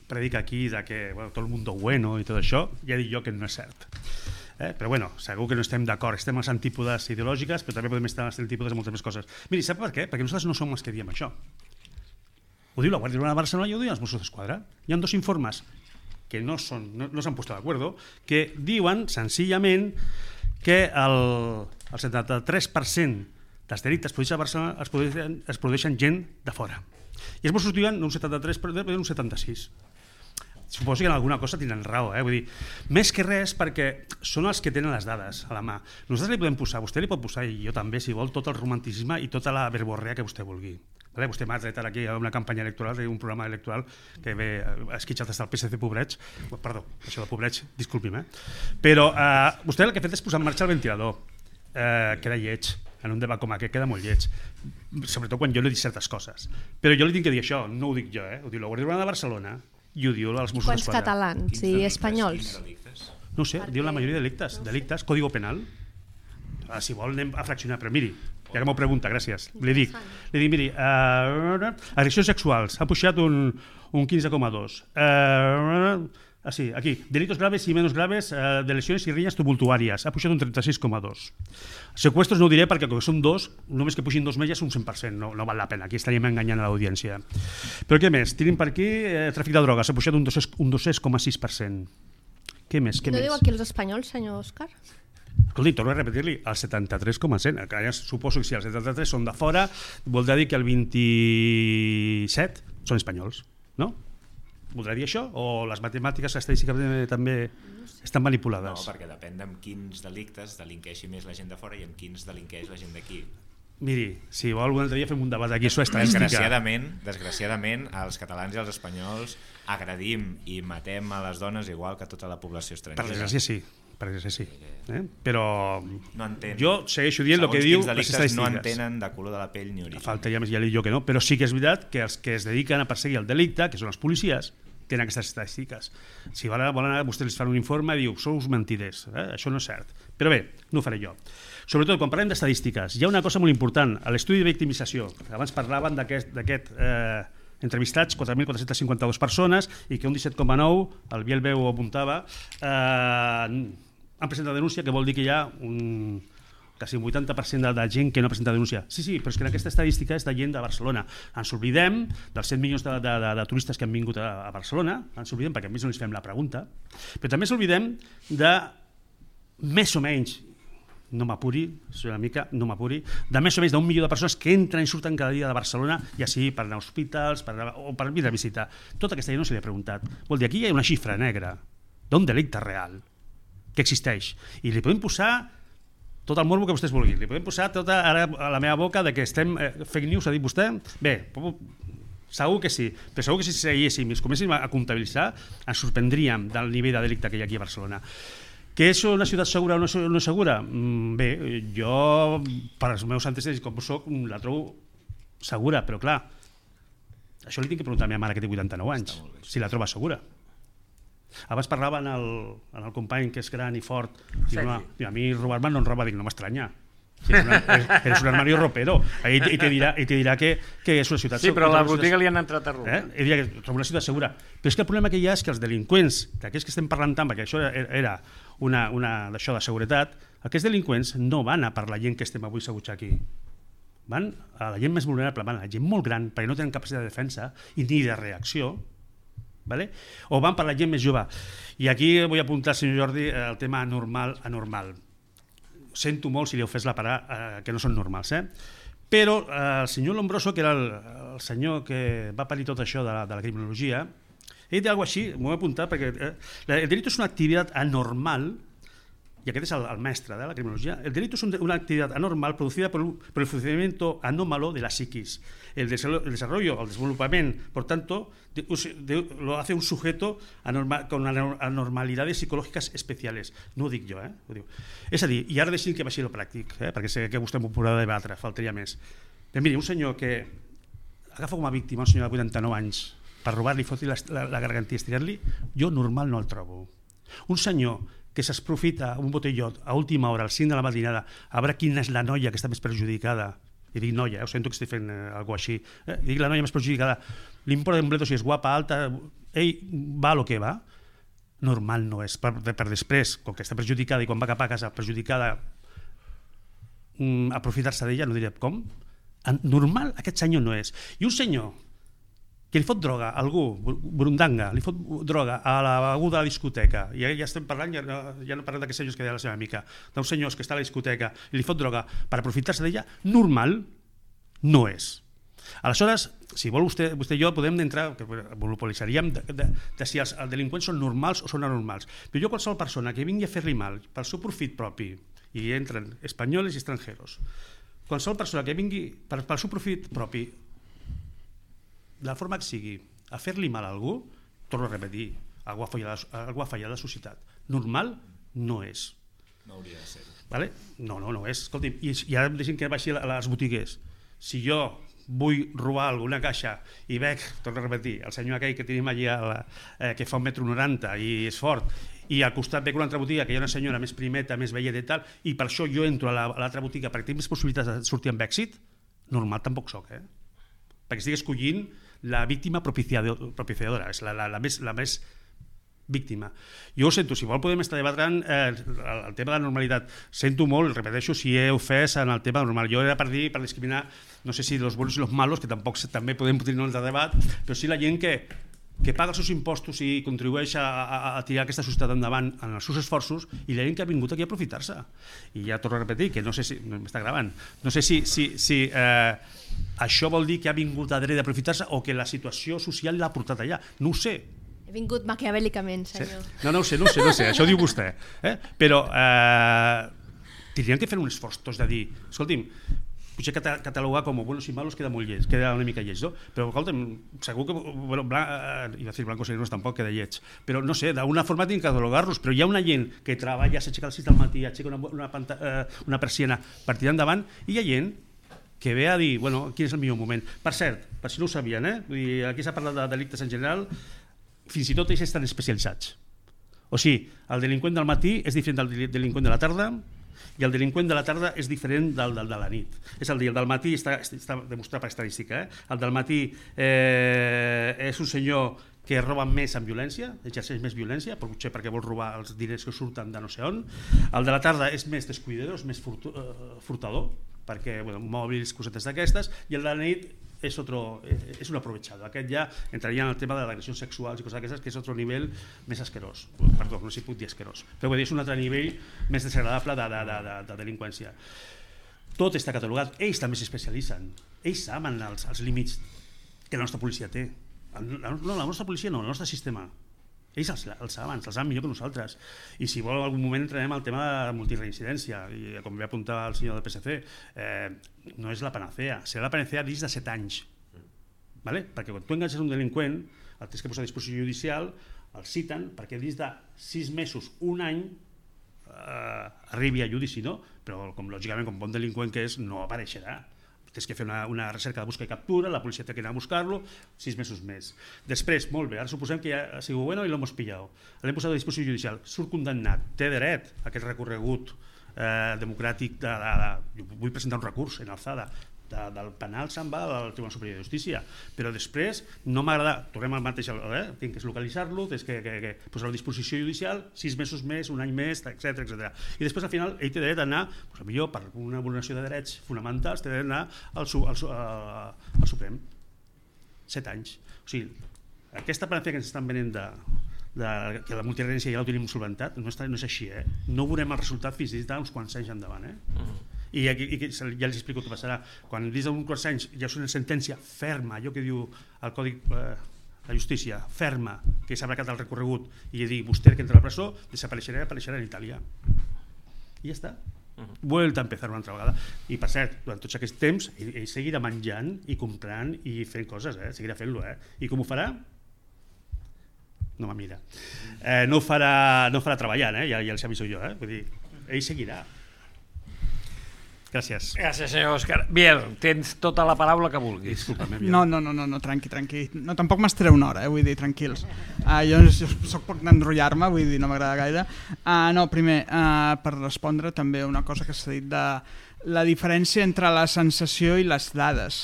predica aquí de que bueno, tot el mundo bueno i tot això, ja dic jo que no és cert. Eh? Però bueno, segur que no estem d'acord, estem a les antípodes ideològiques, però també podem estar a les antípodes de moltes més coses. Miri, sap per què? Perquè nosaltres no som els que diem això. Ho diu la Guàrdia Urbana de Barcelona i ho diuen els Mossos d'Esquadra. Hi ha dos informes que no s'han no, no puesto d'acord, que diuen senzillament que el, el setanta-tres per cent dels delictes produïts a Barcelona es produeixen, es produeixen gent de fora. I els Mossos diuen un setanta-tres per cent, un setanta-sis per cent. Suposo que en alguna cosa tenen raó, eh? Vull dir, més que res perquè són els que tenen les dades a la mà. Nosaltres li podem posar, vostè li pot posar, i jo també, si vol, tot el romanticisme i tota la verborrea que vostè vulgui. Vale? Vostè m'ha tret aquí a una campanya electoral, un programa electoral que ve esquitxat des del P S C Pobrets, perdó, això de Pobrets, disculpi'm, eh? Però eh, vostè el que ha fet és posar en marxa el ventilador, eh, queda lleig, en un debat com aquest queda molt lleig, sobretot quan jo no he dit certes coses. Però jo li tinc que dir això, no ho dic jo, eh? Ho diu la Guàrdia Urbana de Barcelona i ho diu els Mossos Quants d'Esquadra. catalans i espanyols? No ho sé, diu la majoria de delictes. Delictes, código penal. Ah, si vol anem a fraccionar, però miri, ja que m'ho pregunta, gràcies. Li dic, li dic miri, uh, agressions sexuals, ha pujat un, un quinze coma dos. Uh, Ah, sí, aquí, delitos graves y menos graves eh, de lesiones y riñas tumultuàries, ha pujat un trenta-sis coma dos. Secuestros no ho diré perquè com que són dos, només que pugin dos més ja és un cent per cent, no, no val la pena, aquí estaríem enganyant a l'audiència. Però què més? Tenim per aquí eh, tràfic de drogues, ha pujat un dos coma sis per cent. Què més? Què no més? diu aquí els espanyols, senyor Òscar? Escolti, torno a repetir-li, el setanta-tres coma cent, que ja suposo que si el setanta-tres són de fora, voldrà dir que el vint-i-set són espanyols, no? Voldrà dir això? O les matemàtiques estadístiques també estan manipulades? No, perquè depèn de quins delictes delinqueixi més la gent de fora i en quins delinqueix la gent d'aquí. Miri, si vol un altre dia fem un debat aquí sobre estadística. Desgraciadament, desgraciadament, els catalans i els espanyols agredim i matem a les dones igual que tota la població estrangera. Per desgràcia sí, per desgràcia sí. Eh? Però no entén. Jo segueixo dient el que diu les estadístiques. No entenen de color de la pell ni origen. Falta ja més, ja li dic jo que no, però sí que és veritat que els que es dediquen a perseguir el delicte, que són els policies, tenen aquestes estadístiques. Si volen anar, vostès els fan un informe i diu, sou mentiders, eh? Això no és cert. Però bé, no ho faré jo. Sobretot, quan parlem d'estadístiques, hi ha una cosa molt important, a l'estudi de victimització. Abans parlaven d'aquest eh, entrevistats, quatre mil quatre-cents cinquanta-dues persones, i que un disset coma nou, el Biel Beu ho apuntava, eh, han presentat denúncia, que vol dir que hi ha un... quasi un vuitanta per cent de, de gent que no presenta denúncia. Sí, sí, però és que en aquesta estadística és de gent de Barcelona. Ens oblidem dels set milions de, de, de, de turistes que han vingut a, a Barcelona, ens oblidem perquè a més no ens fem la pregunta, però també ens oblidem de més o menys, no m'apuri, una mica, no m'apuri, de més o menys d'un milió de persones que entren i surten cada dia de Barcelona, ja sigui per anar a hospitals per anar, o per vir a visitar. Tota aquesta gent no se li ha preguntat. Vol dir, aquí hi ha una xifra negra d'un delicte real que existeix. I li podem posar tot el morbo que vostès vulguin. Li podem posar tota ara a la meva boca de que estem eh, fake news, ha dit vostè? Bé, segur que sí, però segur que si seguíssim i es comencéssim a comptabilitzar ens sorprendríem del nivell de delicte que hi ha aquí a Barcelona. Que és una ciutat segura o no, no segura? Mm, bé, jo, per als meus antecedents com soc, la trobo segura, però clar, això li tinc que preguntar a la meva mare que té vuitanta-nou anys, si la troba segura. Abans parlava en el, en el company que és gran i fort, diu, no, a mi robar-me no em roba, dic, no m'estranya. Si eres, una, eres un armario ropero i te, te, dirà, i te dirà que, que és una ciutat segura. Sí, però a la botiga li han entrat a robar. Eh? I dirà que trobo una ciutat segura. Però és que el problema que hi ha és que els delinqüents, d'aquests que estem parlant tant, perquè això era una, una d'això de seguretat, aquests delinqüents no van a per la gent que estem avui seguts aquí. Van a la gent més vulnerable, van a la gent molt gran, perquè no tenen capacitat de defensa i ni de reacció, vale? O van per la gent més jove. I aquí vull apuntar, senyor Jordi, el tema normal, anormal. Sento molt si li heu fet la parar eh, que no són normals, eh? Però eh, el senyor Lombroso, que era el, el senyor que va parir tot això de la, de la criminologia, ell dit alguna cosa així, m'ho he apuntat, perquè eh, el delicte és una activitat anormal y aquest es el, el mestre de la criminología, el delito es un, una actividad anormal producida por, por el funcionamiento anómalo de la psiquis. El desarrollo, el desarrollo el desenvolupament, por tanto, de, de, lo hace un sujeto anormal, con anormalidades psicològiques especiales. No ho dic jo, eh? Ho diu. És a dir, i ara deixin que baixi el pràctic, eh? Perquè sé que vostè m'ho podrà debatre, faltaria més. Però miri, un senyor que agafa com a víctima un senyor de vuitanta-nou anys per robar-li, fotre-li la, la, la garganta i estirar-li, jo normal no el trobo. Un senyor que s'aprofita un botellot a última hora, al cinc de la matinada, a veure quina és la noia que està més perjudicada, i dic noia, eh? Ho sento que estic fent eh, alguna cosa així, eh? Dic la noia més perjudicada, l'import d'un bledo si és guapa, alta, ell va a lo que va, normal no és, per, per després, com que està perjudicada i quan va cap a casa perjudicada, mm, aprofitar-se d'ella, no diré com, normal aquest senyor no és. I un senyor que li fot droga a algú, burundanga, li fot droga a la beguda de la discoteca, i ja estem parlant, ja no, ja no parlem d'aquests senyors que deia la seva amica, d'uns senyors que està a la discoteca i li fot droga per aprofitar-se d'ella, normal no és. Aleshores, si vol vostè, vostè i jo podem entrar, que monopolitzaríem de, de, de si els, els delinqüents són normals o són anormals, però jo qualsevol persona que vingui a fer-li mal pel seu profit propi, i entren espanyols i estrangeros, qualsevol persona que vingui per, pel seu profit propi, de la forma que sigui, a fer-li mal a algú, torno a repetir, algú ha fallat, algú ha fallat la societat. Normal no és. No hauria de ser. Vale? No, no, no és. Escolti, i, i ara em deixin que baixi a les botigues. Si jo vull robar alguna caixa i veig, torno a repetir, el senyor aquell que tenim allà eh, que fa un metro noranta i és fort, i al costat veig una altra botiga que hi ha una senyora més primeta, més velleta i tal, i per això jo entro a l'altra botiga perquè tinc més possibilitats de sortir amb èxit, normal tampoc soc, eh? Perquè estic escollint la víctima propiciadora, és la, la, la, més, la més víctima. Jo ho sento, si vol podem estar debatrant eh, el, el tema de la normalitat. Sento molt, repeteixo, si he ofès en el tema normal. Jo era per dir, per discriminar, no sé si los buenos i los malos, que tampoc també podem tenir un altre debat, però sí la gent que, que paga els seus impostos i contribueix a, a, a tirar aquesta societat endavant en els seus esforços, i la gent que ha vingut aquí a aprofitar-se. I ja torno a repetir, que no sé si... No, m'està gravant. No sé si... si, si eh, això vol dir que ha vingut a dret d'aprofitar-se o que la situació social l'ha portat allà. No ho sé. He vingut maquiavèlicament, senyor. Sí? No, no ho sé, no ho sé, no ho sé. Això ho diu vostè. Eh? Però eh, tindrien que fer un esforç tots de dir, escolti'm, potser catalogar com buenos i malos queda molt lleig, queda una mica lleig, no? Però escolta'm, segur que, bueno, blan, eh, iba a dir blancos i negros tampoc queda lleig, però no sé, d'una forma tinc que catalogar-los, però hi ha una gent que treballa, s'aixeca al sis del matí, aixeca una, una, panta, eh, una persiana per tirar endavant, i hi ha gent que ve a dir, bueno, quin és el millor moment. Per cert, per si no ho sabien, eh? Vull dir, aquí s'ha parlat de delictes en general, fins i tot ells estan especialitzats. O sigui, el delinqüent del matí és diferent del delinqüent de la tarda, i el delinqüent de la tarda és diferent del, del de la nit. És el dia, el del matí està, està demostrat per estadística, eh? El del matí eh, és un senyor que roba més amb violència, exerceix més violència, potser perquè vol robar els diners que surten de no sé on. El de la tarda és més descuidador, és més furtu, uh, furtador, perquè bueno, mòbils, cosetes d'aquestes, i el de la nit és, otro, és un aprovechado. Aquest ja entraria en el tema de l'agressió sexual i coses d'aquestes, que és otro nivell més asquerós. Perdó, no sé si puc dir asquerós, però és un altre nivell més desagradable de, de, de, de, de delinqüència. Tot està catalogat, ells també s'especialitzen, ells saben els, els límits que la nostra policia té. No, la nostra policia no, el nostre sistema. Ells els, els saben, els saben millor que nosaltres. I si vol, en algun moment entrarem al tema de multireincidència, i com ve apuntar el senyor del P S C, eh, no és la panacea, serà la panacea dins de set anys. Vale? Perquè quan tu enganxes un delinqüent, el tens que posar a disposició judicial, el citen perquè dins de sis mesos, un any, eh, arribi a judici, no? Però com, lògicament, com bon delinqüent que és, no apareixerà. Tens que fer una, una recerca de busca i captura, la policia té que anar a buscar-lo, sis mesos més. Després, molt bé, ara suposem que ja ha sigut bueno i l'hem pillado. L'hem posat a disposició judicial, surt condemnat, té dret a aquest recorregut eh, democràtic, de, de, de, jo vull presentar un recurs en alçada, de, del penal se'n va al Tribunal Superior de Justícia, però després no m'agrada, tornem al mateix, eh? Tinc que localitzar-lo, tens que, que, que posar a disposició judicial, sis mesos més, un any més, etcètera, etcètera. I després al final ell té dret a anar, doncs, millor per una vulneració de drets fonamentals, té dret a anar al, al, al, al Suprem. Set anys. O sigui, aquesta panacea que ens estan venent de, de, que la multireincidència ja ho tenim solventat, no, està, no és així, eh? No veurem el resultat fins i tot uns quants anys endavant, eh? Uh-huh. I, aquí, i ja els explico què passarà. Quan dins d'uns quants anys hi ha una sentència ferma, allò que diu el Codi eh, de Justícia, ferma, que s'ha abracat el recorregut i dir vostè que entra a la presó, desapareixerà i apareixerà en Itàlia. I ja està. Vuelta a empezar una altra vegada. I per cert, durant tots aquests temps ell, ell seguirà menjant i comprant i fent coses, eh? Seguirà fent-lo, eh? I com ho farà? No me mira. Eh, no ho farà, no ho farà treballant, eh? Ja, ja els aviso jo, eh? Vull dir, ell seguirà. Gràcies. Gràcies, senyor Òscar. Biel, tens tota la paraula que vulguis. Disculpa'm, Biel. No, no, no, no, no, tranqui, tranqui. No, tampoc m'estaré una hora, eh, vull dir, tranquils. Uh, jo, jo soc poc d'enrotllar-me, vull dir, no m'agrada gaire. Uh, no, primer, uh, per respondre també una cosa que s'ha dit de la diferència entre la sensació i les dades.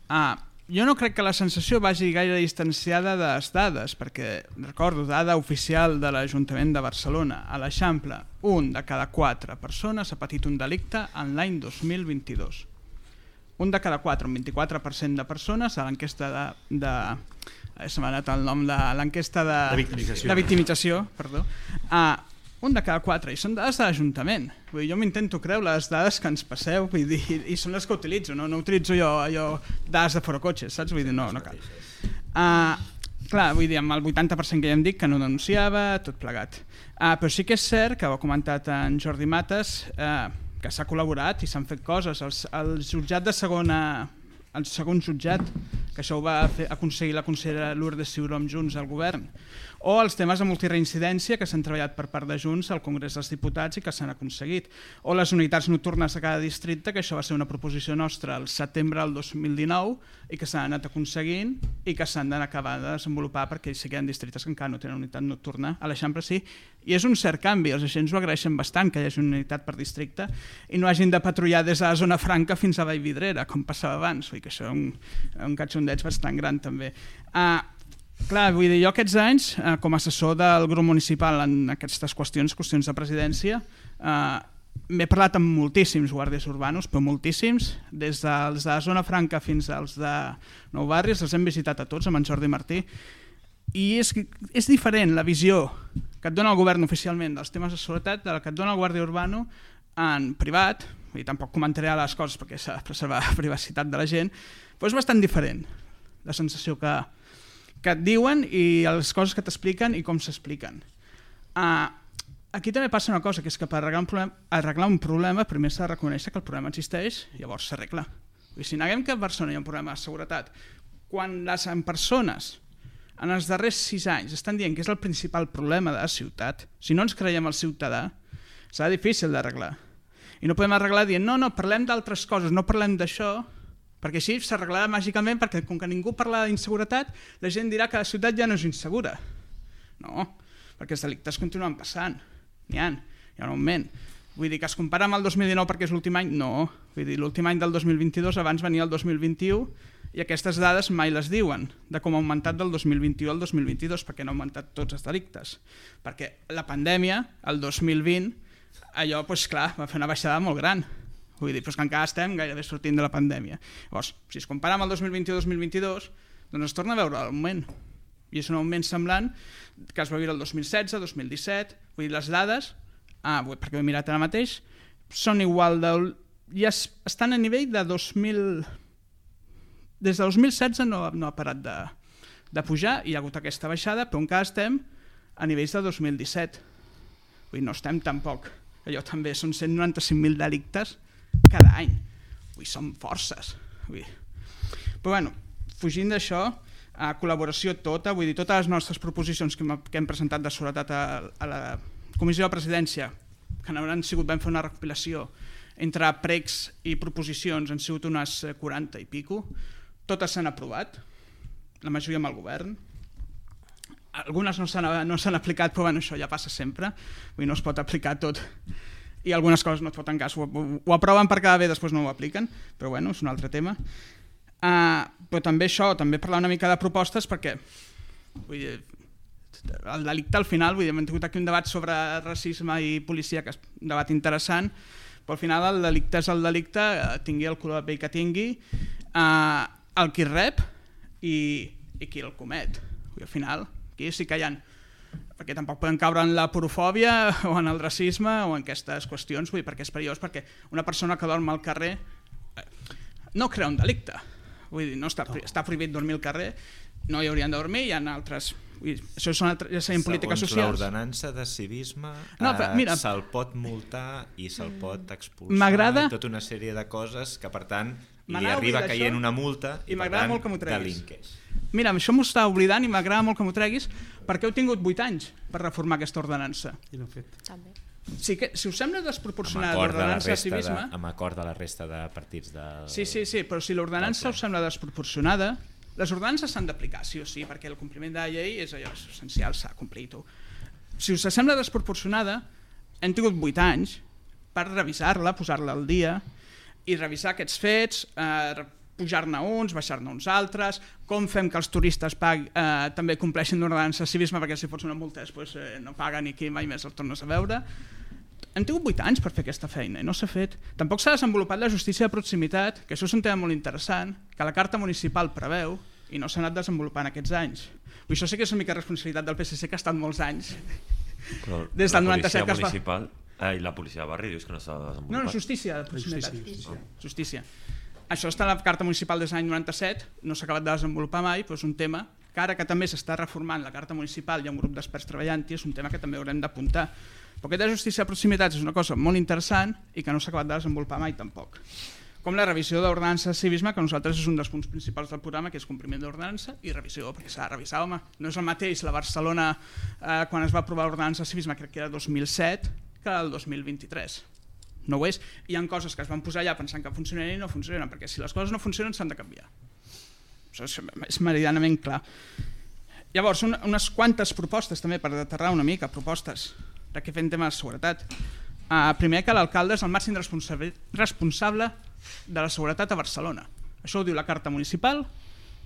Uh, jo no crec que la sensació vagi gaire distanciada de les dades, perquè recordo dada oficial de l'Ajuntament de Barcelona, a l'Eixample, un de cada quatre persones ha patit un delicte en l'any dos mil vint-i-dos. Un de cada quatre, un vint-i-quatre per cent de persones a l'enquesta de... de se m'ha anat el nom de l'enquesta de... De victimització. De victimització, perdó. Uh, un de cada quatre, i són dades de l'Ajuntament. Vull dir, jo m'intento creure les dades que ens passeu, vull dir, i són les que utilitzo, no, no utilitzo jo allò, dades de forocotxes, saps? Vull dir, no, no cal. Uh, clar, vull dir, amb el vuitanta per cent que ja em dic que no denunciava, tot plegat. Uh, però sí que és cert, que ho ha comentat en Jordi Mates, uh, que s'ha col·laborat i s'han fet coses. El, el jutjat de segona, el segon jutjat, que això ho va fer, aconseguir la consellera Lourdes Ciuró amb Junts al govern, o els temes de multireincidència que s'han treballat per part de Junts al Congrés dels Diputats i que s'han aconseguit, o les unitats nocturnes de cada districte, que això va ser una proposició nostra al setembre del dos mil dinou i que s'han anat aconseguint i que s'han d'acabar de desenvolupar perquè sí que hi ha districtes que encara no tenen unitat nocturna. A l'Eixample sí, i és un cert canvi, els agents ho agraeixen bastant que hi hagi una unitat per districte i no hagin de patrullar des de la zona franca fins a Vallvidrera, com passava abans, vull dir que això és un, un catxondeig bastant gran també. Uh, Clar, vull dir, jo aquests anys, eh, com a assessor del grup municipal en aquestes qüestions, qüestions de presidència, eh, m'he parlat amb moltíssims guàrdies urbanos, però moltíssims, des dels de la zona franca fins als de Nou Barris, els hem visitat a tots, amb en Jordi Martí, i és, és diferent la visió que et dona el govern oficialment dels temes de seguretat de la que et dona el guàrdia urbano en privat, i tampoc comentaré les coses perquè s'ha de preservar la privacitat de la gent, però és bastant diferent la sensació que que et diuen i les coses que t'expliquen i com s'expliquen. Uh, aquí també passa una cosa, que és que per arreglar un problema, arreglar un problema primer s'ha de reconèixer que el problema existeix i llavors s'arregla. Si neguem que a Barcelona hi ha un problema de seguretat, quan les persones en els darrers sis anys estan dient que és el principal problema de la ciutat, si no ens creiem el ciutadà, serà difícil d'arreglar. I no podem arreglar dient, no, no, parlem d'altres coses, no parlem d'això, perquè així s'arreglarà màgicament, perquè com que ningú parla d'inseguretat, la gent dirà que la ciutat ja no és insegura. No, perquè els delictes continuen passant, n'hi ha, hi ha un augment. Vull dir que es compara amb el dos mil dinou perquè és l'últim any, no. Vull dir, l'últim any del dos mil vint-i-dos, abans venia el dos mil vint-i-u, i aquestes dades mai les diuen, de com ha augmentat del dos mil vint-i-u al dos mil vint-i-dos, perquè han augmentat tots els delictes. Perquè la pandèmia, el dos mil vint, allò, doncs clar, va fer una baixada molt gran. Vull dir, però que encara estem gairebé sortint de la pandèmia. Llavors, si es compara amb el dos mil vint-i-u dos mil vint-i-dos, doncs es torna a veure l'augment. I és un augment semblant que es va viure el dos mil setze, dos mil disset, vull dir, les dades, ah, perquè ho he mirat ara mateix, són igual de... ja estan a nivell de dos mil... Des de dos mil setze no, no ha parat de, de pujar, hi ha hagut aquesta baixada, però encara estem a nivells de dos mil disset. Vull dir, no estem tampoc. Allò també són cent noranta-cinc mil delictes cada any. Vull dir, són forces. Vull dir. Però bueno, fugint d'això, a col·laboració tota, vull dir, totes les nostres proposicions que hem, que hem presentat de seguretat a, a la Comissió de Presidència, que n'hauran sigut, vam fer una recopilació, entre pregs i proposicions han sigut unes quaranta i pico, totes s'han aprovat, la majoria amb el govern. Algunes no s'han no s'han aplicat, però bueno, això ja passa sempre, vull dir, no es pot aplicar tot, i algunes coses no et foten cas, ho, ho, ho aproven per quedar bé, després no ho apliquen, però bueno, és un altre tema. Uh, però també això, també parlar una mica de propostes, perquè vull dir, el delicte al final, vull dir, hem tingut aquí un debat sobre racisme i policia, que és un debat interessant, però al final el delicte és el delicte, tingui el color de pell que tingui, uh, el qui rep i, i qui el comet. Vull dir, al final, aquí sí que hi ha, perquè tampoc poden caure en la porofòbia o en el racisme o en aquestes qüestions, vull dir, perquè és perillós, perquè una persona que dorm al carrer no crea un delicte, vull dir, no està, està prohibit dormir al carrer, no hi haurien de dormir, hi ha altres... Això són altres, ja serien polítiques socials. Segons l'ordenança de civisme no, eh, se'l pot multar i se'l pot expulsar i tota una sèrie de coses que per tant li arriba caient una multa i, i per tant delinqueix. Mira, això m'ho està oblidant i m'agrada molt que m'ho treguis perquè heu tingut vuit anys per reformar aquesta ordenança. I no fet. També. Sí que, si us sembla desproporcionada l'ordenança de civisme... Amb acord de la resta de partits del... Sí, sí, sí, però si l'ordenança us sembla desproporcionada, les ordenances s'han d'aplicar, sí o sí, perquè el compliment de la llei és allò essencial, s'ha complit. Si us sembla desproporcionada, hem tingut vuit anys per revisar-la, posar-la al dia i revisar aquests fets, eh, pujar-ne uns, baixar-ne uns altres, com fem que els turistes pagui, eh, també compleixin l'ordenança de civisme, perquè si fots una multa després eh, no paguen i aquí mai més el tornes a veure. Hem tingut vuit anys per fer aquesta feina i no s'ha fet. Tampoc s'ha desenvolupat la justícia de proximitat, que això és un tema molt interessant, que la Carta Municipal preveu i no s'ha anat desenvolupant aquests anys. I això sí que és una mica responsabilitat del P S C, que ha estat molts anys. Però des del noranta-set que es va... municipal eh, i la policia de barri dius que no s'ha desenvolupat? No, no, justícia de proximitat. Justícia. Justícia. Això està a la Carta Municipal des de l'any noranta-set, no s'ha acabat de desenvolupar mai, però és un tema que ara que també s'està reformant la Carta Municipal, hi ha un grup d'experts treballant-hi, és un tema que també haurem d'apuntar. Però aquesta justícia de proximitat és una cosa molt interessant i que no s'ha acabat de desenvolupar mai tampoc. Com la revisió d'ordenança de civisme, que nosaltres és un dels punts principals del programa, que és compliment d'ordenança i revisió, perquè s'ha de revisar, home. No és el mateix la Barcelona eh, quan es va aprovar l'ordenança de civisme, crec que era dos mil set, que el dos mil vint-i-tres. No ho és. Hi ha coses que es van posar allà pensant que funcionarien i no funcionen, perquè si les coses no funcionen s'han de canviar. Això és, és meridianament clar. Llavors, un, unes quantes propostes també per aterrar una mica, propostes de què fem tema de seguretat. Uh, primer que l'alcalde és el màxim responsable, responsable de la seguretat a Barcelona. Això ho diu la Carta Municipal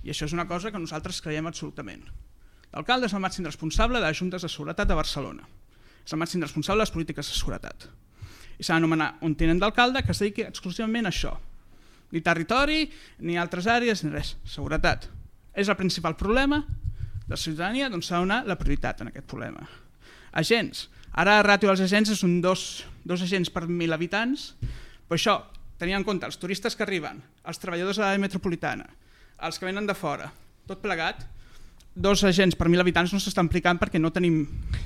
i això és una cosa que nosaltres creiem absolutament. L'alcalde és el màxim responsable de les juntes de seguretat a Barcelona. És el màxim responsable de les polítiques de seguretat. I s'ha d'anomenar un tinent d'alcalde que es dediqui exclusivament a això. Ni territori, ni altres àrees, ni res. Seguretat. És el principal problema de la ciutadania, doncs s'ha de donar la prioritat en aquest problema. Agents. Ara la ràtio dels agents és un dos, dos agents per mil habitants, però això, tenint en compte els turistes que arriben, els treballadors de l'àrea metropolitana, els que venen de fora, tot plegat, dos agents per mil habitants no s'estan aplicant perquè no tenim,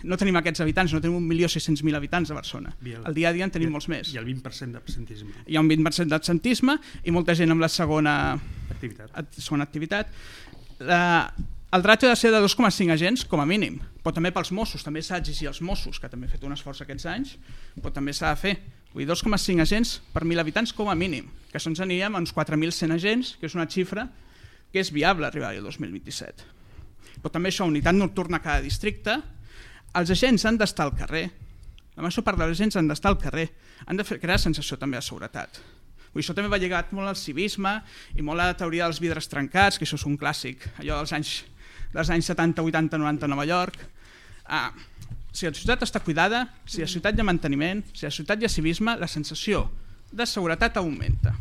no tenim aquests habitants, no tenim un milió sis-cents mil habitants a Barcelona. Al dia a dia en tenim molts més. I el vint per cent d'absentisme. Hi ha un vint per cent d'absentisme i molta gent amb la segona activitat. Segona activitat. La, el ràtio ha de ser de dos coma cinc agents, com a mínim, però també pels Mossos, també s'ha d'exigir als Mossos, que també han fet un esforç aquests anys, però també s'ha de fer. Vull dir, dos coma cinc agents per mil habitants com a mínim, que això ens aniríem a uns quatre mil cent agents, que és una xifra que és viable arribar al dos mil vint-i-set. Però també això, unitat nocturna a cada districte, els agents han d'estar al carrer, la major part dels agents han d'estar al carrer, han de fer, crear sensació també de seguretat. Vull dir, això també va lligat molt al civisme i molt a la teoria dels vidres trencats, que això és un clàssic, allò dels anys, dels anys setanta, vuitanta, noranta a Nova York. Ah, si la ciutat està cuidada, si la ciutat hi ha manteniment, si la ciutat hi ha civisme, la sensació de seguretat augmenta.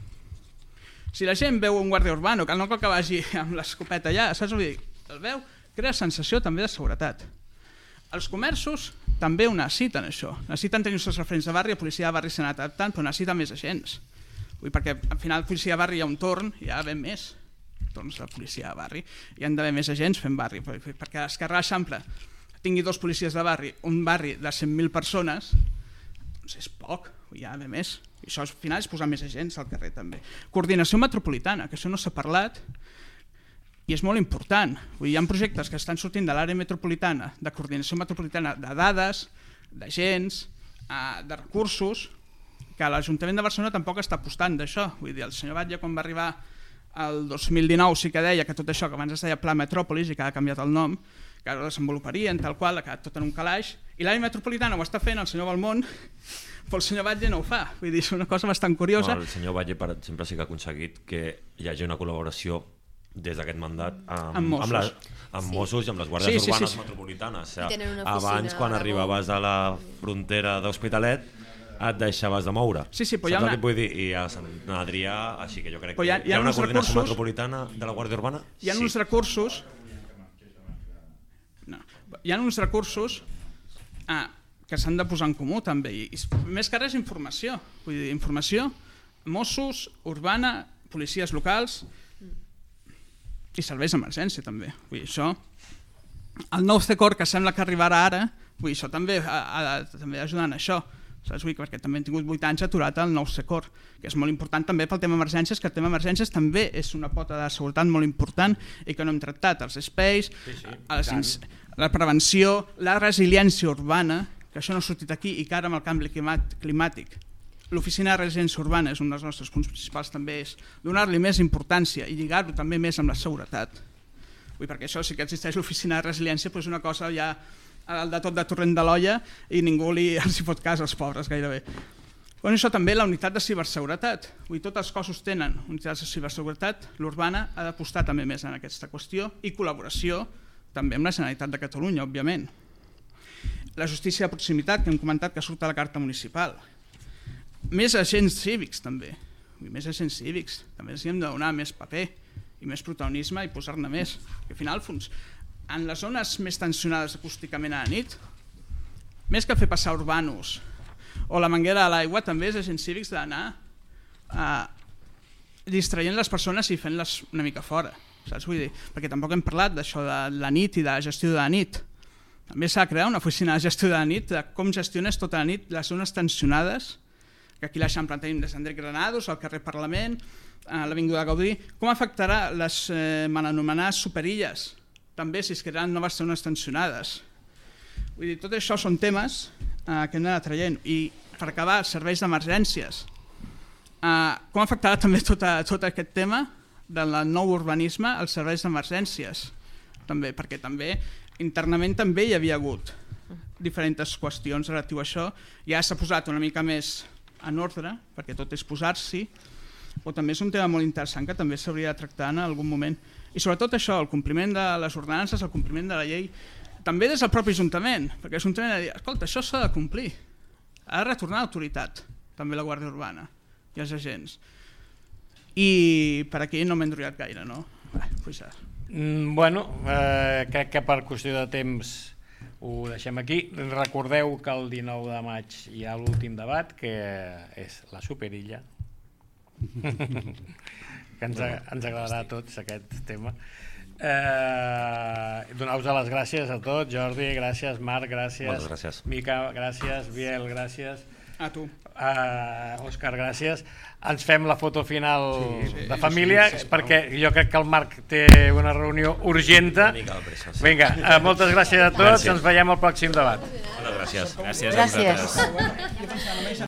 Si la gent veu un guàrdia urbano, que no cal que vagi amb l'escopeta allà, saps? Vull dir, el veu, crea sensació també de seguretat. Els comerços també ho necessiten, això. Necessiten tenir els seus referents de barri, la policia de barri s'ha anat adaptant, però necessiten més agents. Vull dir, perquè al final la policia de barri hi ha un torn, hi ha ben més torns de policia de barri, hi han d'haver més agents fent barri, perquè Esquerra Eixample tingui dos policies de barri, un barri de cent mil persones, doncs és poc, hi ha d'haver més. I això al final és posar més agents al carrer també. Coordinació metropolitana, que això no s'ha parlat, i és molt important. Vull dir, hi ha projectes que estan sortint de l'àrea metropolitana, de coordinació metropolitana, de dades, d'agents, de recursos, que l'Ajuntament de Barcelona tampoc està apostant d'això. Vull dir, el senyor Batlle, quan va arribar el dos mil dinou, sí que deia que tot això, que abans es deia Pla Metròpolis i que ha canviat el nom, que ho desenvoluparien, tal qual, ha quedat tot en un calaix, i l'àrea metropolitana ho està fent el senyor Balmont, però el senyor Batlle no ho fa. Vull dir, és una cosa bastant curiosa. No, el senyor Batlle, per exemple, sí que ha aconseguit que hi hagi una col·laboració des d'aquest mandat amb, amb, Mossos. amb, la, amb sí. Mossos i amb les guàrdies sí, sí, urbanes sí, sí. metropolitanes. O sigui, abans, quan arribaves a la frontera d'Hospitalet, et deixaves de moure. Sí, sí, però Saps hi ha una... el que vull dir? I a Sant Adrià, així que jo crec però hi ha, que hi ha, hi ha una coordinació recursos... metropolitana de la Guàrdia Urbana. Hi ha sí. uns recursos... No. Hi ha uns recursos ah, que s'han de posar en comú també. I, més que res informació. Vull dir, informació, Mossos, Urbana, policies locals... i serveis d'emergència també. Vull dir, això, el nou C COR que sembla que arribarà ara, vull dir, això també ha, ha, també ajuda en això, saps? Vull dir, perquè també hem tingut vuit anys aturat el nou C COR, que és molt important també pel tema emergències, que el tema emergències també és una pota de seguretat molt important i que no hem tractat, els espais, sí, sí, les, la prevenció, la resiliència urbana, que això no ha sortit aquí i que ara amb el canvi climàtic l'oficina de resiliència urbana és un dels nostres punts principals, també és donar-li més importància i lligar-ho també més amb la seguretat. Vull, perquè això sí que existeix l'oficina de resiliència, però és una cosa ja al de tot de torrent de l'olla i ningú li, els hi fot cas als pobres gairebé. Bueno, això també la unitat de ciberseguretat. Vull, tots els cossos tenen unitats de ciberseguretat, l'urbana ha d'apostar també més en aquesta qüestió i col·laboració també amb la Generalitat de Catalunya, òbviament. La justícia de proximitat, que hem comentat que surt a la carta municipal. Més agents cívics també, més agents cívics, també els hem de donar més paper i més protagonisme i posar-ne més. Que al final, en les zones més tensionades acústicament a la nit, més que fer passar urbanos o la manguera a l'aigua, també els agents cívics d'anar eh, distraient les persones i fent-les una mica fora, saps? Vull dir, perquè tampoc hem parlat d'això de la nit i de la gestió de la nit. També s'ha de crear una oficina de gestió de la nit, de com gestiones tota la nit les zones tensionades, que aquí a l'Eixample tenim des d'Andrés Granados, al carrer Parlament, a l'Avinguda Gaudí. Com afectarà les eh, mal anomenades superilles? També si es crearan noves zones tensionades. Vull dir, tot això són temes eh, que hem d'anar traient. I per acabar, serveis d'emergències. Eh, com afectarà també tot, a, tot aquest tema del nou urbanisme als serveis d'emergències? També, perquè també internament també hi havia hagut diferents qüestions relatiu a això. Ja s'ha posat una mica més en ordre, perquè tot és posar-s'hi, però també és un tema molt interessant que també s'hauria de tractar en algun moment. I sobretot això, el compliment de les ordenances, el compliment de la llei, també des del propi Ajuntament, perquè l'Ajuntament ha de dir, escolta, això s'ha de complir, ha de retornar l'autoritat, també la Guàrdia Urbana i els agents. I per aquí no m'he enrotllat gaire, no? Bé, pues ja. Mm, bueno, eh, crec que per qüestió de temps ho deixem aquí. Recordeu que el dinou de maig hi ha l'últim debat, que és la superilla, que ens, ens agradarà a tots aquest tema. Eh, Donar-vos les gràcies a tots. Jordi, gràcies. Marc, gràcies. Moltes gràcies. Mica, gràcies. Biel, gràcies. A tu. Uh, Òscar, gràcies. Ens fem la foto final sí, sí, de família, sí, sí, perquè jo crec que el Marc té una reunió urgenta. Vinga, uh, moltes gràcies a tots. Gràcies. Ens veiem al pròxim debat. Moltes gràcies. Gràcies a vosaltres. Gràcies.